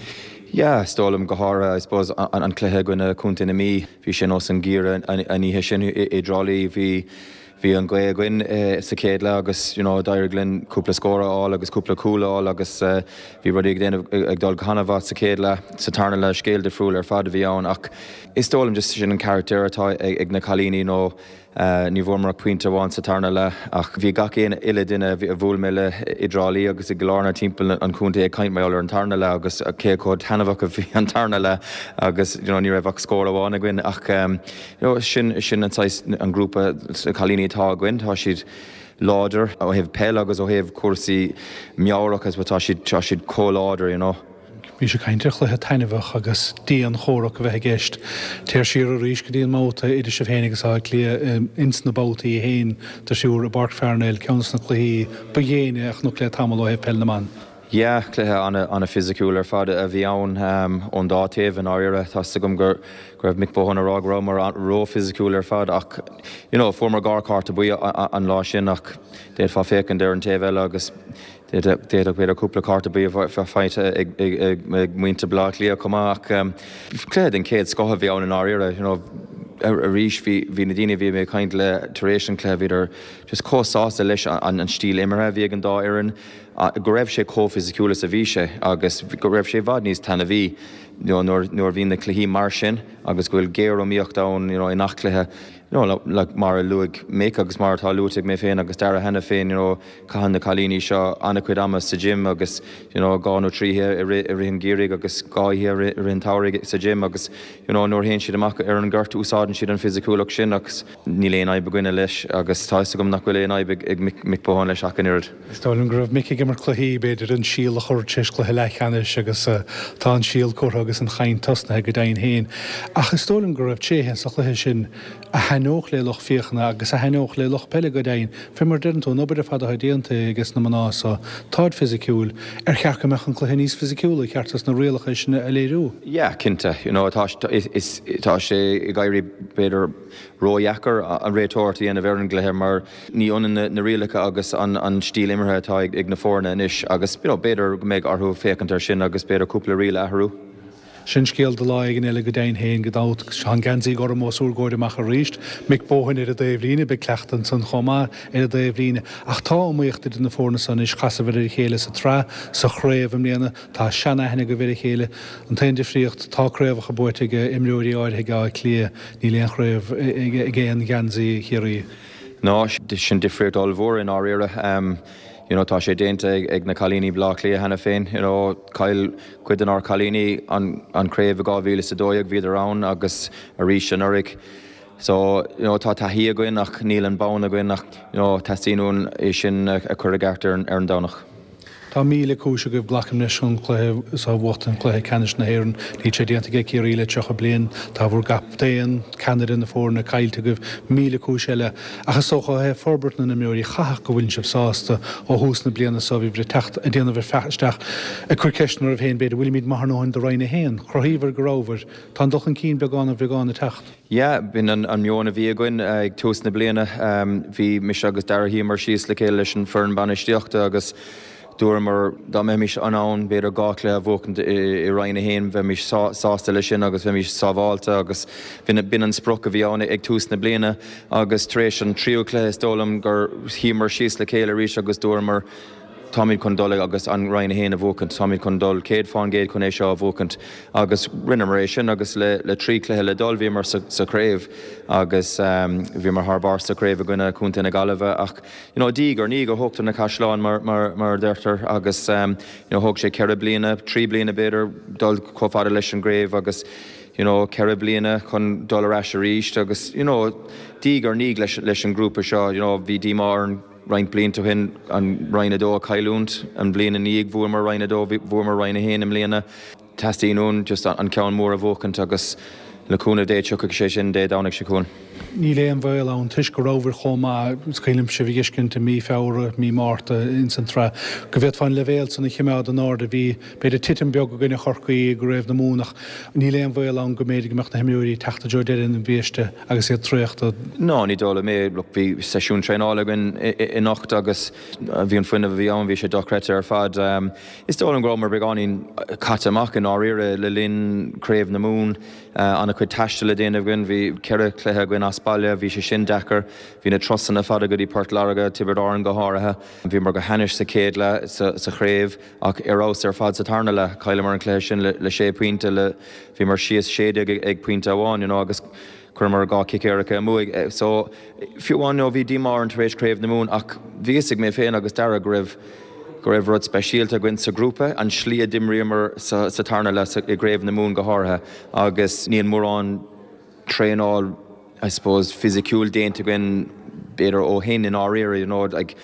Yeah, is dóigh liom go háirithe I suppose an, an cluiche i gcoinne Chontae na Mí, bhí sin os an gcíre an, an oíche sin i, i dTrá Lí bhí bhí an ghaoth againn eh, sa chéad leath agus you know, d'éirigh linn cúpla scór a fháil agus cúpla cúl a fháil agus uh, bhí rudaí ag déanamh ag dul go han-mhaith sa chéad leath sa tarna leath scéal difriúil ar fad a bhí ann ach is dóigh liom just sin an carachtar atá ag, ag na cailíní nó Uh, ní bhfuair pointe amháin sa tarna leath ach bhí gach aon uile duine a bhuail mé le i dTrá Lí agus i gCill Airne timpeall an chontae ag caint mar ar an tarna leath agus cé chomh taitneamhach a bhí an tarna leath agus you know, ní raibh ach scór amháin againn ach um, you know, sin sin an, an grúpa cailíní atá againn tá siad láidir ó thaobh peil agus ó thaobh cúrsaí meabhrach as tá siad tá siad chomh láidir you know. Bhí sé caint ar chluiche taitneamhach agus dianchomhrac a bheith i gceist. Téir siar arís go dtí an mbabhta idir sibh féin agus Áth Cliath ins na babhtaí féin de siúr i bPáirc Pharnell ceann de na cluichí ba dhéine a chonac le tamall ó thaobh peil na mban. Yeah, cluiche an-fhisiciúil ar fad a bhí ann um, ón dá taobh i ndáiríre tá agam gur go raibh Mick Bohan ag rá go raibh mar ró-fhisiciúil ar fad ach you know, fuair dhá chárta buí an lá sin ach d'fhéadfá féachaint ar an taobh eile agus d'fhéadfadh b'fhéidir cúpla cárta buí faighte ag ag muintir Bhaile Átha Cliath chomh maith ach um, cluiche den chéad scoth a bhí ann i ndáiríre you know, arís bhí na daoine bhí mé caint le tar éis an chluiche bhíodar just chomh sásta leis an, an stíl imeartha bhí ag an dá fhoireann go raibh sé chomh fisiciúil is a bhí sé agus go raibh sé i bhfad níos taitneamhaí nuair nuair bhíonn na cluichí mar sin agus go bhfuil géariomaíocht ann you know, i ngach cluiche you know, like, mar a luaigh Mick agus mar atá luaite mé féin agus Dara cheana féin you know, caitheann na cailíní seo an-chuid ama sa gym agus you know, dhá nó trí i rith an gheimhridh agus dhá i rith an tsamhraidh sa gym agus you know, nuair théann siad amach ar an ngort úsáideann siad an fisiciúlacht sin agus níl aon fhadhb againne leis agus tá agam nach bhfuil aon fhadhb ag Mick Bohan leis ach an oiread. Is dóigh liom go raibh Mick ag imirt cluichí b'fhéidir an síol a chur tar éis cluiche leathcheannais agus uh, tá an síol curtha agus an chaint tosnaithe go deimhin féin. Ach is dóigh liom go raibh tréithe sa chluiche sin a thaitneodh le lucht féachana agus a thaitneodh le lucht peile go deimhin. Fé mar deireann tú an obair ar fad atá déanta ag na mná so táid fisiciúil ar cheart go mbeadh an cluiche níos fisiciúla ceart na rialacha sin a léiriú. Yeah, cinnte, you know, tá is tá sé ag éirí b'fhéidir ródheacair an réiteoireacht a dhéanamh ar an gcluiche mar ní ionann na, na rialacha agus an, an stíl imeartha atá ag, ag na foirne anois agus you know, b'fhéidir go mbeidh orthu féachaint ar sin agus b'fhéidir cúpla riail a athrú. Sin scéal do lá éigin eile go deimhin féin gan dabht. Tá an geansaí gorm os bhur gcomhair amach arís. Mick Bohan ar an dtaobhlíne, beidh cleachtadh ansan chomh maith ar an dtaobhlíne. Ach tá iomaíocht idir na foirne san anois, chasadar ar a chéile sa tsraith, sa chraobh i mbliana. Tá seanaithne agaibh ar a chéile. An t-aon difríocht, tá craobhacha buaite ag imreoirí áirithe ag Áth Cliath, níl aon chraobh ag aon gheansaí Chiarraí. Ná, sin difríocht ollmhór i ndáiríre. You know, tá sé déanta ag, ag na cailíní Bleá Cliath cheana féin. You know, chaill cuid denár cailíní an, an craobh i dhá mhíle is a dó dhéag bhíodar ann agus arís anuraidh. So, you know, tá taithí againn ach níl an bonn againn ach you know, teastaíonn uainn é sin a chur i gceart ar, ar an Domhnach. Tá míle cúis agaibh glacaim leis an cluiche so a bhuachtaint, cluiche ceannais na hÉireann. Níl sé déanta ag Ciarraí le tríocha bliain. Tá bhur gcaptaen, ceannaire na foirne, caillte agaibh. Míle cúis eile. Ach is dócha ó thaobh forbairt na n-imreoirí, chaithfeadh go bhfuileann sibh sásta ó thús na bliana so, bhíobhair ag teacht, ag déanamh isteach, ag cur ceisteanna oraibh féin, b'fhéidir, bhfuilimid maith ár ndóthain do Roinn a haon? Chruthaíobhair go rabhabhair. Tá an dul chun cinn beagán ar bheagán ag teacht. Yeah, b'in an meon a bhí againn ag tús na bliana. Bhí mise agus Darragh shuíomar síos le chéile leis an foireann bainistíochta agus dúramar dá mbeimis in ann b'fhéidir dhá chluiche a bhuachaint i Roinn a haon, bheimis sásta leis sin agus bheimis sábháilte agus b'in an sprioc a bhí ann ag tús na bliana agus tar éis an tríú cluiche is dóigh liom gur shuíomar síos le chéile arís agus dúramar táimid chun dul agus an Roinn a haon a bhuachaint, táimid chun dul céad fán gcéad chun é seo a bhuachaint agus rinneamar é sin agus le le trí chluiche le dul bhíomar sa sa chraobh agus bhíomar thar barr sa chraobh i gcoinne Chontae na Gaillimhe ach you know diaidh ar ndiaidh a thógtar na caisleáin mar mar mar a deirtear agus you know thóg sé ceithre bliana, trí bliana b'fhéidir dul chomh fada leis an gcraobh agus you know ceithre bliana chun dul ar ais arís agus you know diaidh ar ndiaidh leis leis an ngrúpa seo you know bhí díomá orainn roinnt blianta ó shin an Roinn a dó a chailliúint, an bhliain ina dhiaidh bhuamar Roinn a dó, bhuamar Roinn a haon i mbliana. Teastaíonn uainn just an ceann mór a bhuachaint agus le cúnamh Dé tiocfaidh sé sin Dé Domhnaigh seo chugainn. Níl aon bhaol ann toisc go rabhabhair chomh maith, is cuimhin liom sibh a fheiscint i mí Feabhra, mí Márta ins an tsraith, go bhféadfá an leibhéal san a chimeád in airde. Bhí, b'fhéidir, titim beag i gcoinne Chorcaí i gCraobh na Mumhan ach níl aon bhaol ann go mb'fhéidir go mbeadh na himreoirí ag teacht i dtreo deireadh na biaiste agus iad traochta. Ná, ní dóigh liom é. Look, bhí seisiún traenála againn anocht agus bhí an fuinneamh a bhí ann, bhí sé dochreidte ar fad. Is dóigh liom go rabhamar beagáinín caite amach i ndáiríre le linn Craobh na Mumhan. An-chuid taistil le déanamh againn, bhí ceithre chluiche againn as baile, bhí sé sin deacair. Bhí na turasanna fada go dtí Port Láirge, Tiobraid Árann go háirithe. Bhíomar go hainnis sa chéad leath sa chraobh ach ar fheabhas ar fad sa tarna leath. Chailleamar an cluiche sin le sé pointe, le bhíomar síos sé déag ag pointe amháin, you know, agus chuireamar dhá chic éirice amú. So, fiú amháin, you know, bhí díomá orainn tar éis Craobh na Mumhan ach bhí fhios ag mé féin agus Darragh go raibh go raibh rud speisialta againn sa ghrúpa, an slí a d'imríomar sa sa tarna leath i gCraobh na Mumhan go háirithe agus níl mórán traenáil I suppose fisiciúil déanta againn b'fhéidir ó shin i ndáiríre, you know, like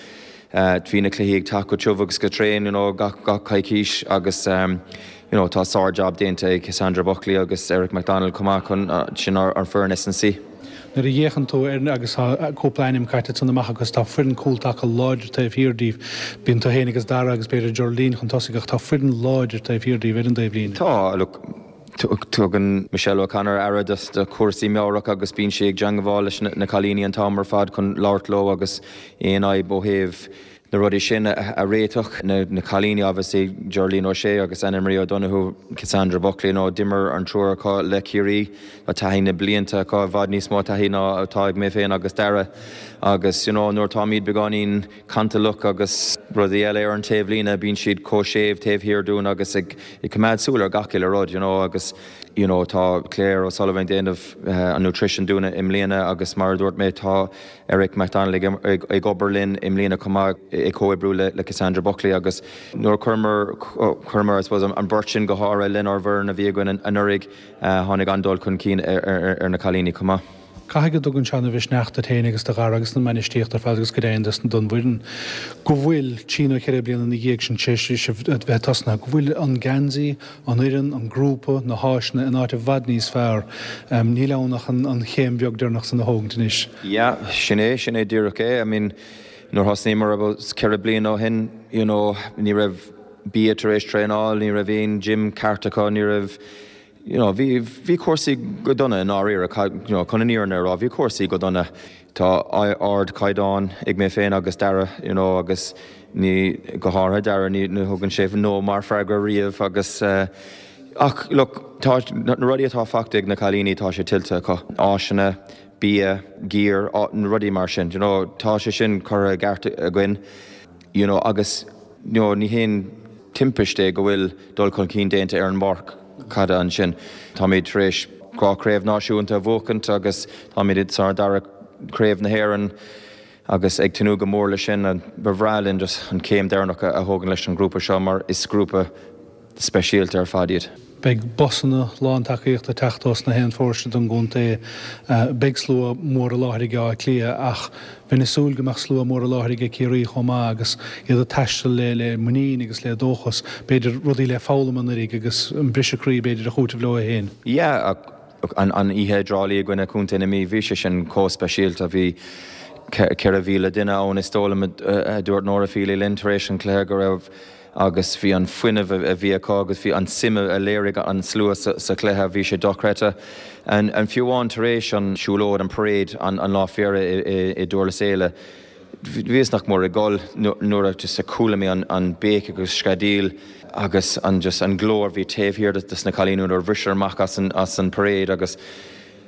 bhí na cluichí ag teacht go tiubh agus go tréan, you know, gach gach coicís agus you know tá sár-jab déanta ag Cassandra Buckley agus Eric McDonald chomh maith chun sin ár foireann S and C. Nuair a fhéachann tú ar agus tá cúpla ainm caite ansan amach agus tá foireann cúltaca láidir taobh thiar díobh. Bíonn tú féin agus Dara agus b'fhéidir Geraldine chun tosaigh ach tá foireann láidir taobh thiar díobh ar an dtaobhlíne. Tá, look, tugann Michelle O'Connor aire do chúrsaí meabhrach agus bíonn sí ag teagmháil leis na cailíní an t-am ar fad chun labhairt leo agus aon fhadhb ó thaobh na rudaí sin a réiteach. Na cailíní obviously Geraldine O'Shea agus Anna Marie O'Donoghue, Cassandra Buckley, nó d'imir an triúr acu le Ciarraí, tá taithí na blianta acu, i bhfad níos mó taithí ná atá ag mé féin agus Dara agus you know nuair atáimid beagáinín cantalach agus rudaí eile ar an taobhlíne bíonn siad chomh séimh taobh thiar dúinn agus ag coimeád súil ar gach uile rud you know agus you know tá Claire O'Sullivan ag déanamh an nutrition dúinn i mbliana agus mar a dúirt mé tá Eric McDonald ag ag obair linn i mbliana chomh maith ag comhoibriú le le Cassandra Buckley agus nuair a chuireamar chuireamar I suppose an bheirt sin go háirithe lenár bhfoireann a bhí againn anuraidh tháinig an-dul chun cinn ar ar na cailíní chomh maith. Caithfidh go dtugann sé an-mhisneach duit féin agus do Dhara agus don mbainistíocht ar fad agus go deimhin don bhfoireann go bhfuil, trí nó ceithre bliana ina dhiaidh sin tar éis sibh a bheith tosnaithe, go bhfuil an geansaí, an fhoireann, an grúpa, na háiseanna in áit i bhfad níos fearr. Níl ann ach an chéim bheag deireanach san a thógaint anois. Yeah, sin é, sin é díreach é. I mean, nuair thosnaíomar about ceithre bliana ó shin, you know, ní raibh bia tar éis traenáil, ní raibh aon gym ceart acu, ní raibh, you know, bhí, bhí cúrsaí go dona i ndáiríre, you know, chun an fhírinne a rá, bhí cúrsaí go dona. Tá ardchaighdeán ag mé féin agus Dara, you know, agus ní, go háirithe Dara, ní, ní thugann sé no mar freagra riamh agus eh, Ach look, tá na rudaí atá faighte ag na cailíní tá sé tuillte acu. Áiseanna, bia, gear, na rudaí mar sin. You know, tá sé sin curtha i gceart againn. You know, agus you know, ní haon timpiste é go bhfuil dul chun cinn déanta ar an bpáirc caide ansin. Táimid tar éis dhá chraobh náisiúnta a bhuachaint agus táimid sa dara craobh na hÉireann agus ag tnúth go mór leis sin. Ba bhreá linn just an céim deireanach a thógaint leis an grúpa seo mar is grúpa speisialta ar fad iad. Beidh busanna lán tacaíochta ag teacht ós na haon pharóiste don gcontae. Beidh slua mór i láthair ag Áth Cliath ach bheinn ag súil go mbeadh slua mór i láthair ag Ciarraí chomh maith agus iad ag taisteal le le muinín agus le dóchas, b'fhéidir rudaí le foghlaim anuraidh agus an briseadh croí b'fhéidir a chúiteamh leo féin. Yeah, an an oíche i dTrá Lí i gcoinne Contae na Mí, bhí sé sin chomh speisialta. Bhí ceithre mhíle duine ann is dóigh liom a dúirt Nora Feely linn tar éis an chluiche go raibh agus bhí an fuinneamh a bhí acu agus bhí an suim a léirigh an slua sa chluiche, bhí sé dochreidte. An fiú amháin tar éis an siúlóid, an parade, an lá féile i Durlas Éile, bhíos nach mór ag gol nuair a just a chuala mé an béic agus screadaíl agus an just an glór a bhí taobh thiar de na cailíní nuair a bhriseadh amach as an as an parade agus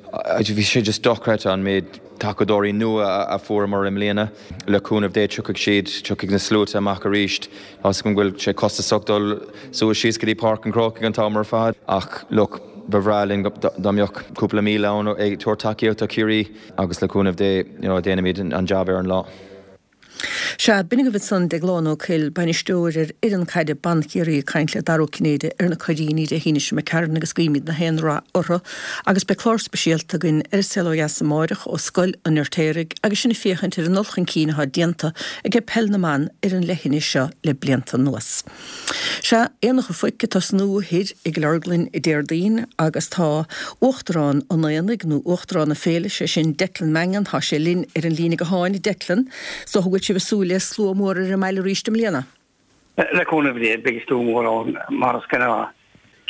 bhí sé just dochreidte an méid tacadóirí nua a fuaireamar i mbliana. Le cúnamh Dé tiocfaidh siad, tiocfaidh na sluaite amach arís. Tá 'fhios agam go bhfuil sé costasach dul suas síos go dtí Páirc an Chrócaigh an t-am ar fad ach look, ba bhreá linn dá mbeadh cúpla míle ann ag tabhairt tacaíocht do Chiarraí agus le cúnamh Dé you know, déanfaimid an jab ar an lá. Sea, b'in agaibh ansan Deaglán Ó Cuill, bainisteoir ar fhoireann caide ban Chiarraí ag caint le Dara Ó Cinnéide ar na Cuiríní Dé hAoine seo imigh tharainn agus guímid na haon rath orthu agus beidh clár speisialta againn ar An Saol Ó Dheas amáireach ó Scoil an Fheirtéaraigh agus sinn ag féachaint ar an dul chun cinn atá déanta ag peil na mban ar an leithinis seo le blianta anuas. Sea, Aonach an Phoic ag tosnú thoir i gCill Orglan Déardaoin agus tá Uachtarán an Aonaigh, nó Uachtarán na Féile, sé sin Declan Mangan, tá sé linn ar an líne gutháin. Declan, is dócha go bhfuil sibh ag súil le slua mór ar an mbaile arís i mbliana? Le cúnamh Dé, beidh slua mór ann, mar is gnáth.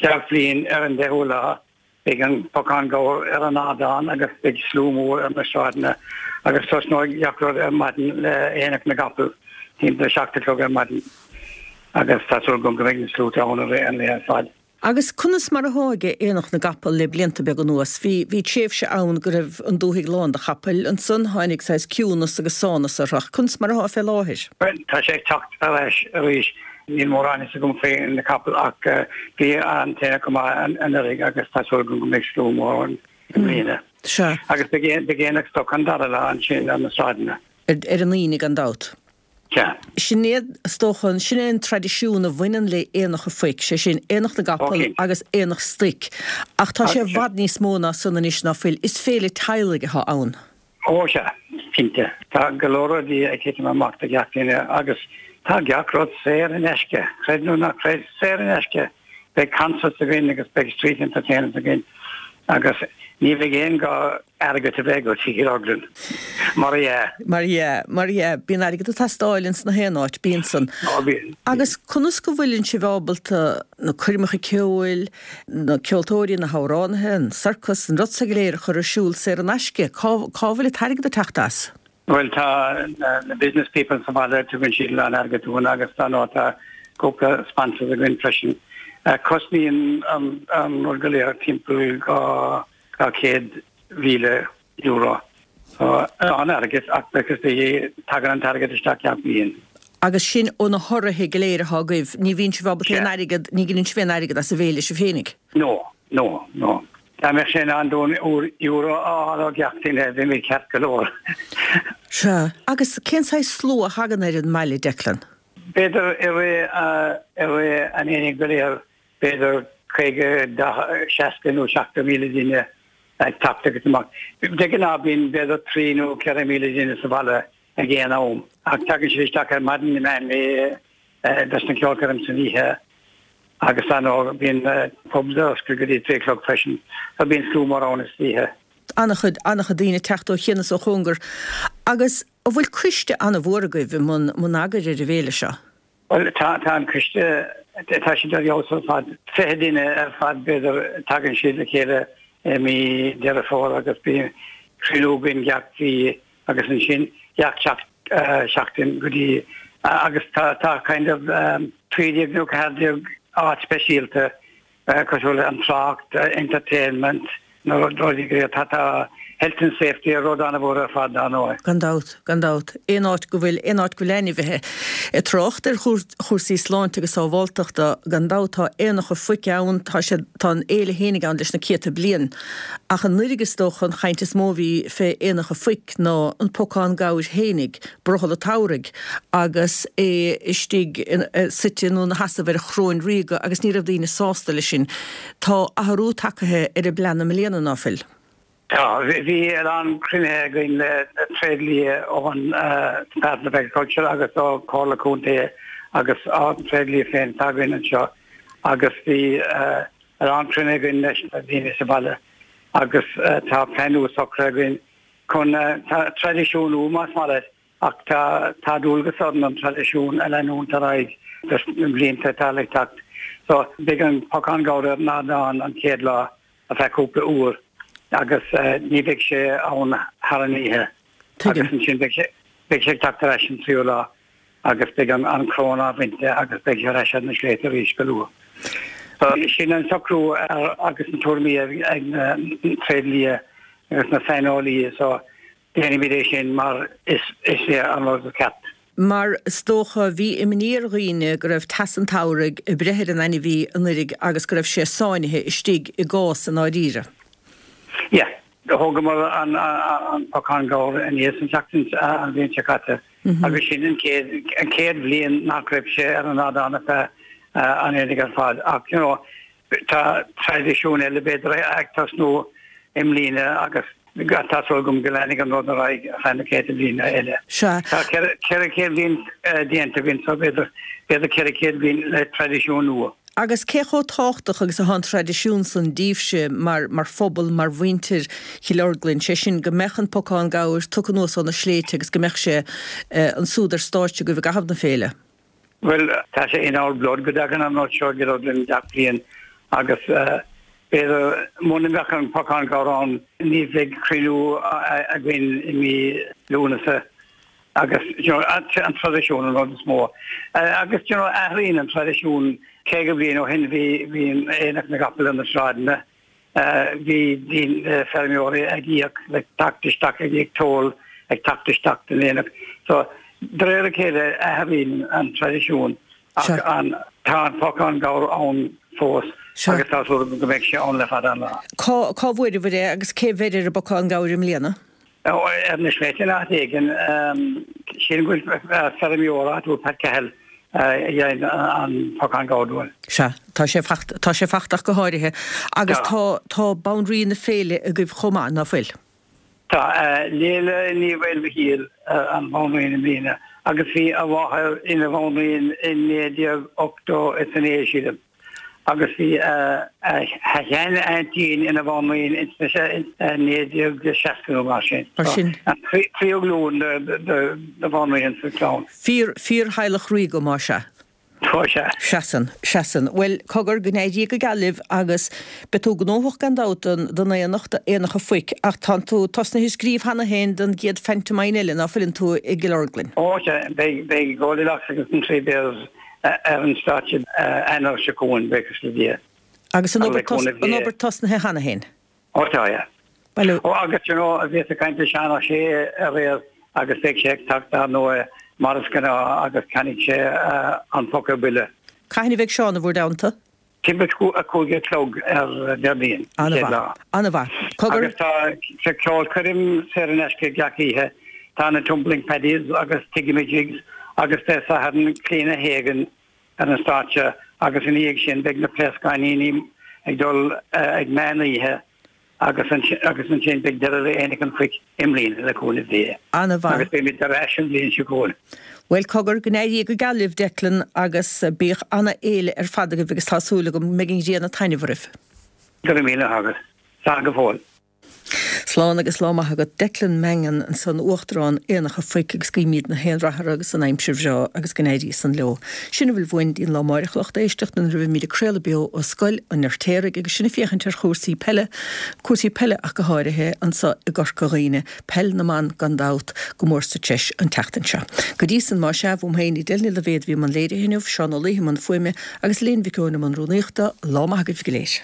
Gach bliain ar an deichiú lá, beidh an Pocán Gabhar ar an ardán agus beidh slua mór ar na sráideanna agus tosnóidh gach rud ar maidin le Aonach na gCapall timpeall a seacht a chlog ar maidin agus tá súil agam go mbeidh na sluaite ann i rith an lae ar fad. Agus conas mar atá ag Aonach na gCapall le blianta beaga anuas? Bhí, bhí tréimhse ann go raibh an dúthaigh lán de chapaill, ansan tháinig saghas ciúnas agus sánas uirthi ach conas mar atá fé láthair? Bhuel, tá sé ag teacht ar ais arís. Níl mórán fhios agam faoi na capaill ach bhí an t-aonach go maith anuraidh agus tá súil agam go mbeidh slua mór ann i mbliana. Sea. Agus beidh aonach stoc an dara lá ansin ar na sráideanna. Ar an Aoine gan dabht. Sea. Sin é, is dócha, sin é an traidisiún a bhaineann le Aonach an Phoic, sé sin, Aonach na gCapall agus Aonach Stoic. Ach tá sé i bhfad níos mó ná san anois, ná fuil? Is féile teaghlaigh atá ann. Ó sea, cinnte. Tá go leor rudaí ag titim amach do gach duine agus tá gach rud saor in aisce, creid nó ná creid, saor in aisce. Beidh concerts againn agus beidh street entertainers againn agus ní bheidh aon gá airgead a bheith agat i gCill Orglan. Mar dhea. Mar dhea, mar dhea. Bíonn airgead ag teastáil ins na haon áit, bíonn san. Ó bíonn. Agus conas go bhfuileann sibh ábalta na coirmeacha ceoil, na ceoltóirí, na hamhránaithe, an sorcas, an rud so go léir a chur ar siúl saor in aisce? Cá, cá bhfuil an t-airgead ag teacht as? Bhuel tá na business people sa bhaile, tugann siad a lán airgead dúinn agus dar ndóigh tá cúpla sponsors againn freisin. Cosnaíonn an rud go léir timpeall dhá, dhá chéad mhíle euro. So an-airgead ach because the tagann an t-airgead isteach gach bliain. Agus sin ó na hurraithe go léir atá agaibh, ní bhíonn sibh ábalta aon airgead, ní ghineann sibh aon airgead as an bhféile sibh féinig? No, no, no. Dá mbeadh sé in ann dúinn euro a fháil ó gach duine, bheimid ceart go leor. Sea. Agus cén saghas slua a thagann ar an mbaile, Declan? B'fhéidir i rith, i rith an aonaigh go léir, b'fhéidir caoga, seasca nó seachtó míle duine ag teacht agus amach. De ghnáth bíonn b'fhéidir trí nó ceithre míle duine sa bhaile ag aon am. Ach tagann siad isteach ar maidin i meán lae dos na ceolchoirm san oíche agus dar ndóigh bíonn pubs ar oscailt go dtí trí a chlog freisin. So bíonn slua mór ann istoíche. An-chuid, an-chuid daoine ag teacht ó chian is ó chóngar. Agus an bhfuil coiste an-mhór agaibh i mbun, mbun eagair ar an bhféile seo? Bhuel, tá, tá an coiste, tá siad ar fheabhas ar fad. Fiche duine ar fad, b'fhéidir, tagann siad le chéile i mí Deireadh Fómhair agus bíonn cruinniú againn gach mhí agus ansin gach seachtain go dtí, agus tá, tá kind of trí déag nó ceathair déag áit speisialta cosúil le an trácht, entertainment, na rudaí go léir. Tá tá health and safety rud an-mhór ar fad dar ndóigh. Gan dabht, gan dabht. Aon áit go bhfuil, aon áit go bhfuil ainmhithe. Ag trácht ar chúrsaí sláinte agus sábháilteachta, gan dabht tá Aonach an Phoic ann, tá sé, tá an fhéile fhéinig ann leis na céadta bliain. Ach anuraidh is dócha an chaint is mó a bhí fé Aonach an Phoic ná an pocán gabhair fhéinig, brothall an tsamhraidh, agus é istigh suite nó ina sheasamh ar choróin ríoga agus ní raibh daoine sásta leis sin. Tá athrú tagtha ar an bplean i mbliana, ná fuil? Tá, bhí a lán cruinnithe againn le tréidlia ón Department of Agriculture agus ó Comhairle Contae agus an tréidlia féin atá againn anseo agus bhí a lán cruinnithe againn leis na daoine sa bhaile agus tá plean nua socraithe againn chun tá traidisiún nua más maith leat ach tá tá dualgas orainn an traidisiún a leanúint ar aghaidh dos na blianta atá le teacht. So beidh an pocán gabhair ar an ardán an chéad lá ar feadh cúpla uair agus ní bheidh sé ann thar an oíche. Agus ansin beidh sé beidh sé ag teacht ar ais an tríú lá agus beidh an an choróin á bhaint de agus beidh sé ar ais ar na sléibhte arís go luath. So sin an socrú ar agus na tuairimí ag na tréidlia agus na saineolaithe so déanfaimid é sin mar is is é an rud is ceart. Mar is dócha, bhí imní ar dhaoine go raibh teas an tsamhraidh ag breith ar an ainmhí anuraidh agus go raibh sé sáinnithe istigh i gcás i ndáiríre. Yeah. Thógamar an an pocán gabhair aníos an tseachtain an bhliain seo caite agus sin an chéad an chéad bhliain nach raibh sé ar an ardán ar feadh an aonaigh ar fad. Ach you know, tá traidisiún eile b'fhéidir ag tosnú i mbliana agus tá súil agam go leanfaidh an rud ar aghaidh ar feadh na céadta bliana eile. Sea. Tá ceithre chéad bliain déanta againn so b'fhéidir b'fhéidir ceithre chéad bliain le traidisiún nua. Agus cé chomh tábhachtach agus atá an traidisiún san daoibhse mar mar phobal, mar mhuintir Chill Orglan, sé sin go mbeadh an pocán gabhair tugtha anuas ó na sléibhte agus go mbeadh sé ansúd ar stáitse agaibh i gcaitheamh na féile? Bhuel, tá sé in our blood go dtagann an rud seo go Cill Orglan gach bliain agus b'fhéidir muna mbeadh an pocán gabhair ann ní bheadh cruinniú againn i mí Lúnasa agus you know, an traidisiún an rud is mó. Agus you know, athraíonn an traidisiún caoga bliain ó shin bhí bhí aonach na gcapall ar na sráideanna bhí daoine feirmeoirí ag íoc le teacht isteach ag íoc toll ag teacht isteach don aonach. So de réir a chéile athraíonn an traidisiún ach an tá an pocán gabhair ann fós agus tá súil agam go mbeidh sé ann le fada an lá. Cá cá bhfuaireabhair é agus cé bheir ar an bpocán gabhair i mbliana? Ar na sléibhte in áit éigin sílim go bhfuil feirmeoir áitiúil Pat Cahill a dhein an pocán gabhair dúinn. Sea, tá sé tá sé fachta ach go háirithe. Agus tá tá banríon na féile agaibh chomh maith, ná fuil? Tá. Leila Ní Mhaoilmhichíl an bhanríon i mbliana agus bhí a mháthair ina bhanríon i naoi déag ochtó is a naoi, sílim, agus bhí a shean-aintín ina bhanríon ins na naoi déag seasca nó mar sin. Mar sin. An tríú glúin de bhanríon sa chlann. Fíor, fíor-theaghlach ríoga, más ea. Tá sé. Seasann, seasann. Bhuel, cogar, go n-éirí go geal libh agus beidh tú gnóthach gan dabht don, don aonach, d'Aonach an Phoic, ach tánn tú tosnaithe ag scríobh cheana féin don gcéad phantomime eile, ná fuileann tú i gCill Orglan? Ó, sea, beidh, beidh Goldilocks agus an Three Bears ar an stáitse Eanáir seo chugainn, buíochas le Dia. Agus an obair, an obair tosnaithe cheana féin? Ó tá, yeah. Bhuel. Ó agus you know bhíos ag caint le Seán Ó Sé aréir agus beidh sé ag teacht dar ndóigh mar is gnáth agus ceannfaidh sé an poca buile. Cathain a bheidh Seán i bhur dteannta? Timpeall a cúig a chlog ar Déardaoin, an chéad lá. An-mhaith. Cogar. Agus tá ceolchoirm saor in aisce gach oíche. Tá na Tumbling Paddies agus Tigamajigs agus Dé Sathairn Clíona Hagan ar an stáitse agus ina dhiaidh sin beidh na Pléascáiníní ag dul ag meán oíche agus agus ansin beidh deireadh le Aonach an Phoic i mbliana le cúnamh Dé. An-mhaith. Agus beimid ar ais an bhliain seo chugainn. Bhuel cogar, go n-éirí go geal libh Declan agus bíodh ana-fhéile ar fad agaibh agus tá súil agam go mbeidh an ghrian ag taitneamh oraibh. Go raibh míle maith agat. Slán go fóill. Slán agus lá maith agat Declan Mangan ansan Uachtarán Aonach a' Phoic agus guímid na haon rath orthu agus an aimsir bhreá agus go n-éirí san leo. Sin a bhfuil uainn dtí'n lá amáireach a lucht éisteachta nuair a bheimid ag craoladh beo ó Scoil an Fheirtéaraigh agus sinn ag féachaint ar chúrsaí peile, cúrsaí peile ach go háirithe, anso i gCorca Dhuibhne, peil na mban gan dabht, go mór sa treis an tseachtain seo. Go dtí san, más ea, uaim féin, Edel Ní Loibhéad a bhí i mbun léirithe inniu, Seán Ó Laoithe i mbun fuaime agus Elaine Mhic Eoin i mbun rúnaíochta, lá maith agaibh go léir.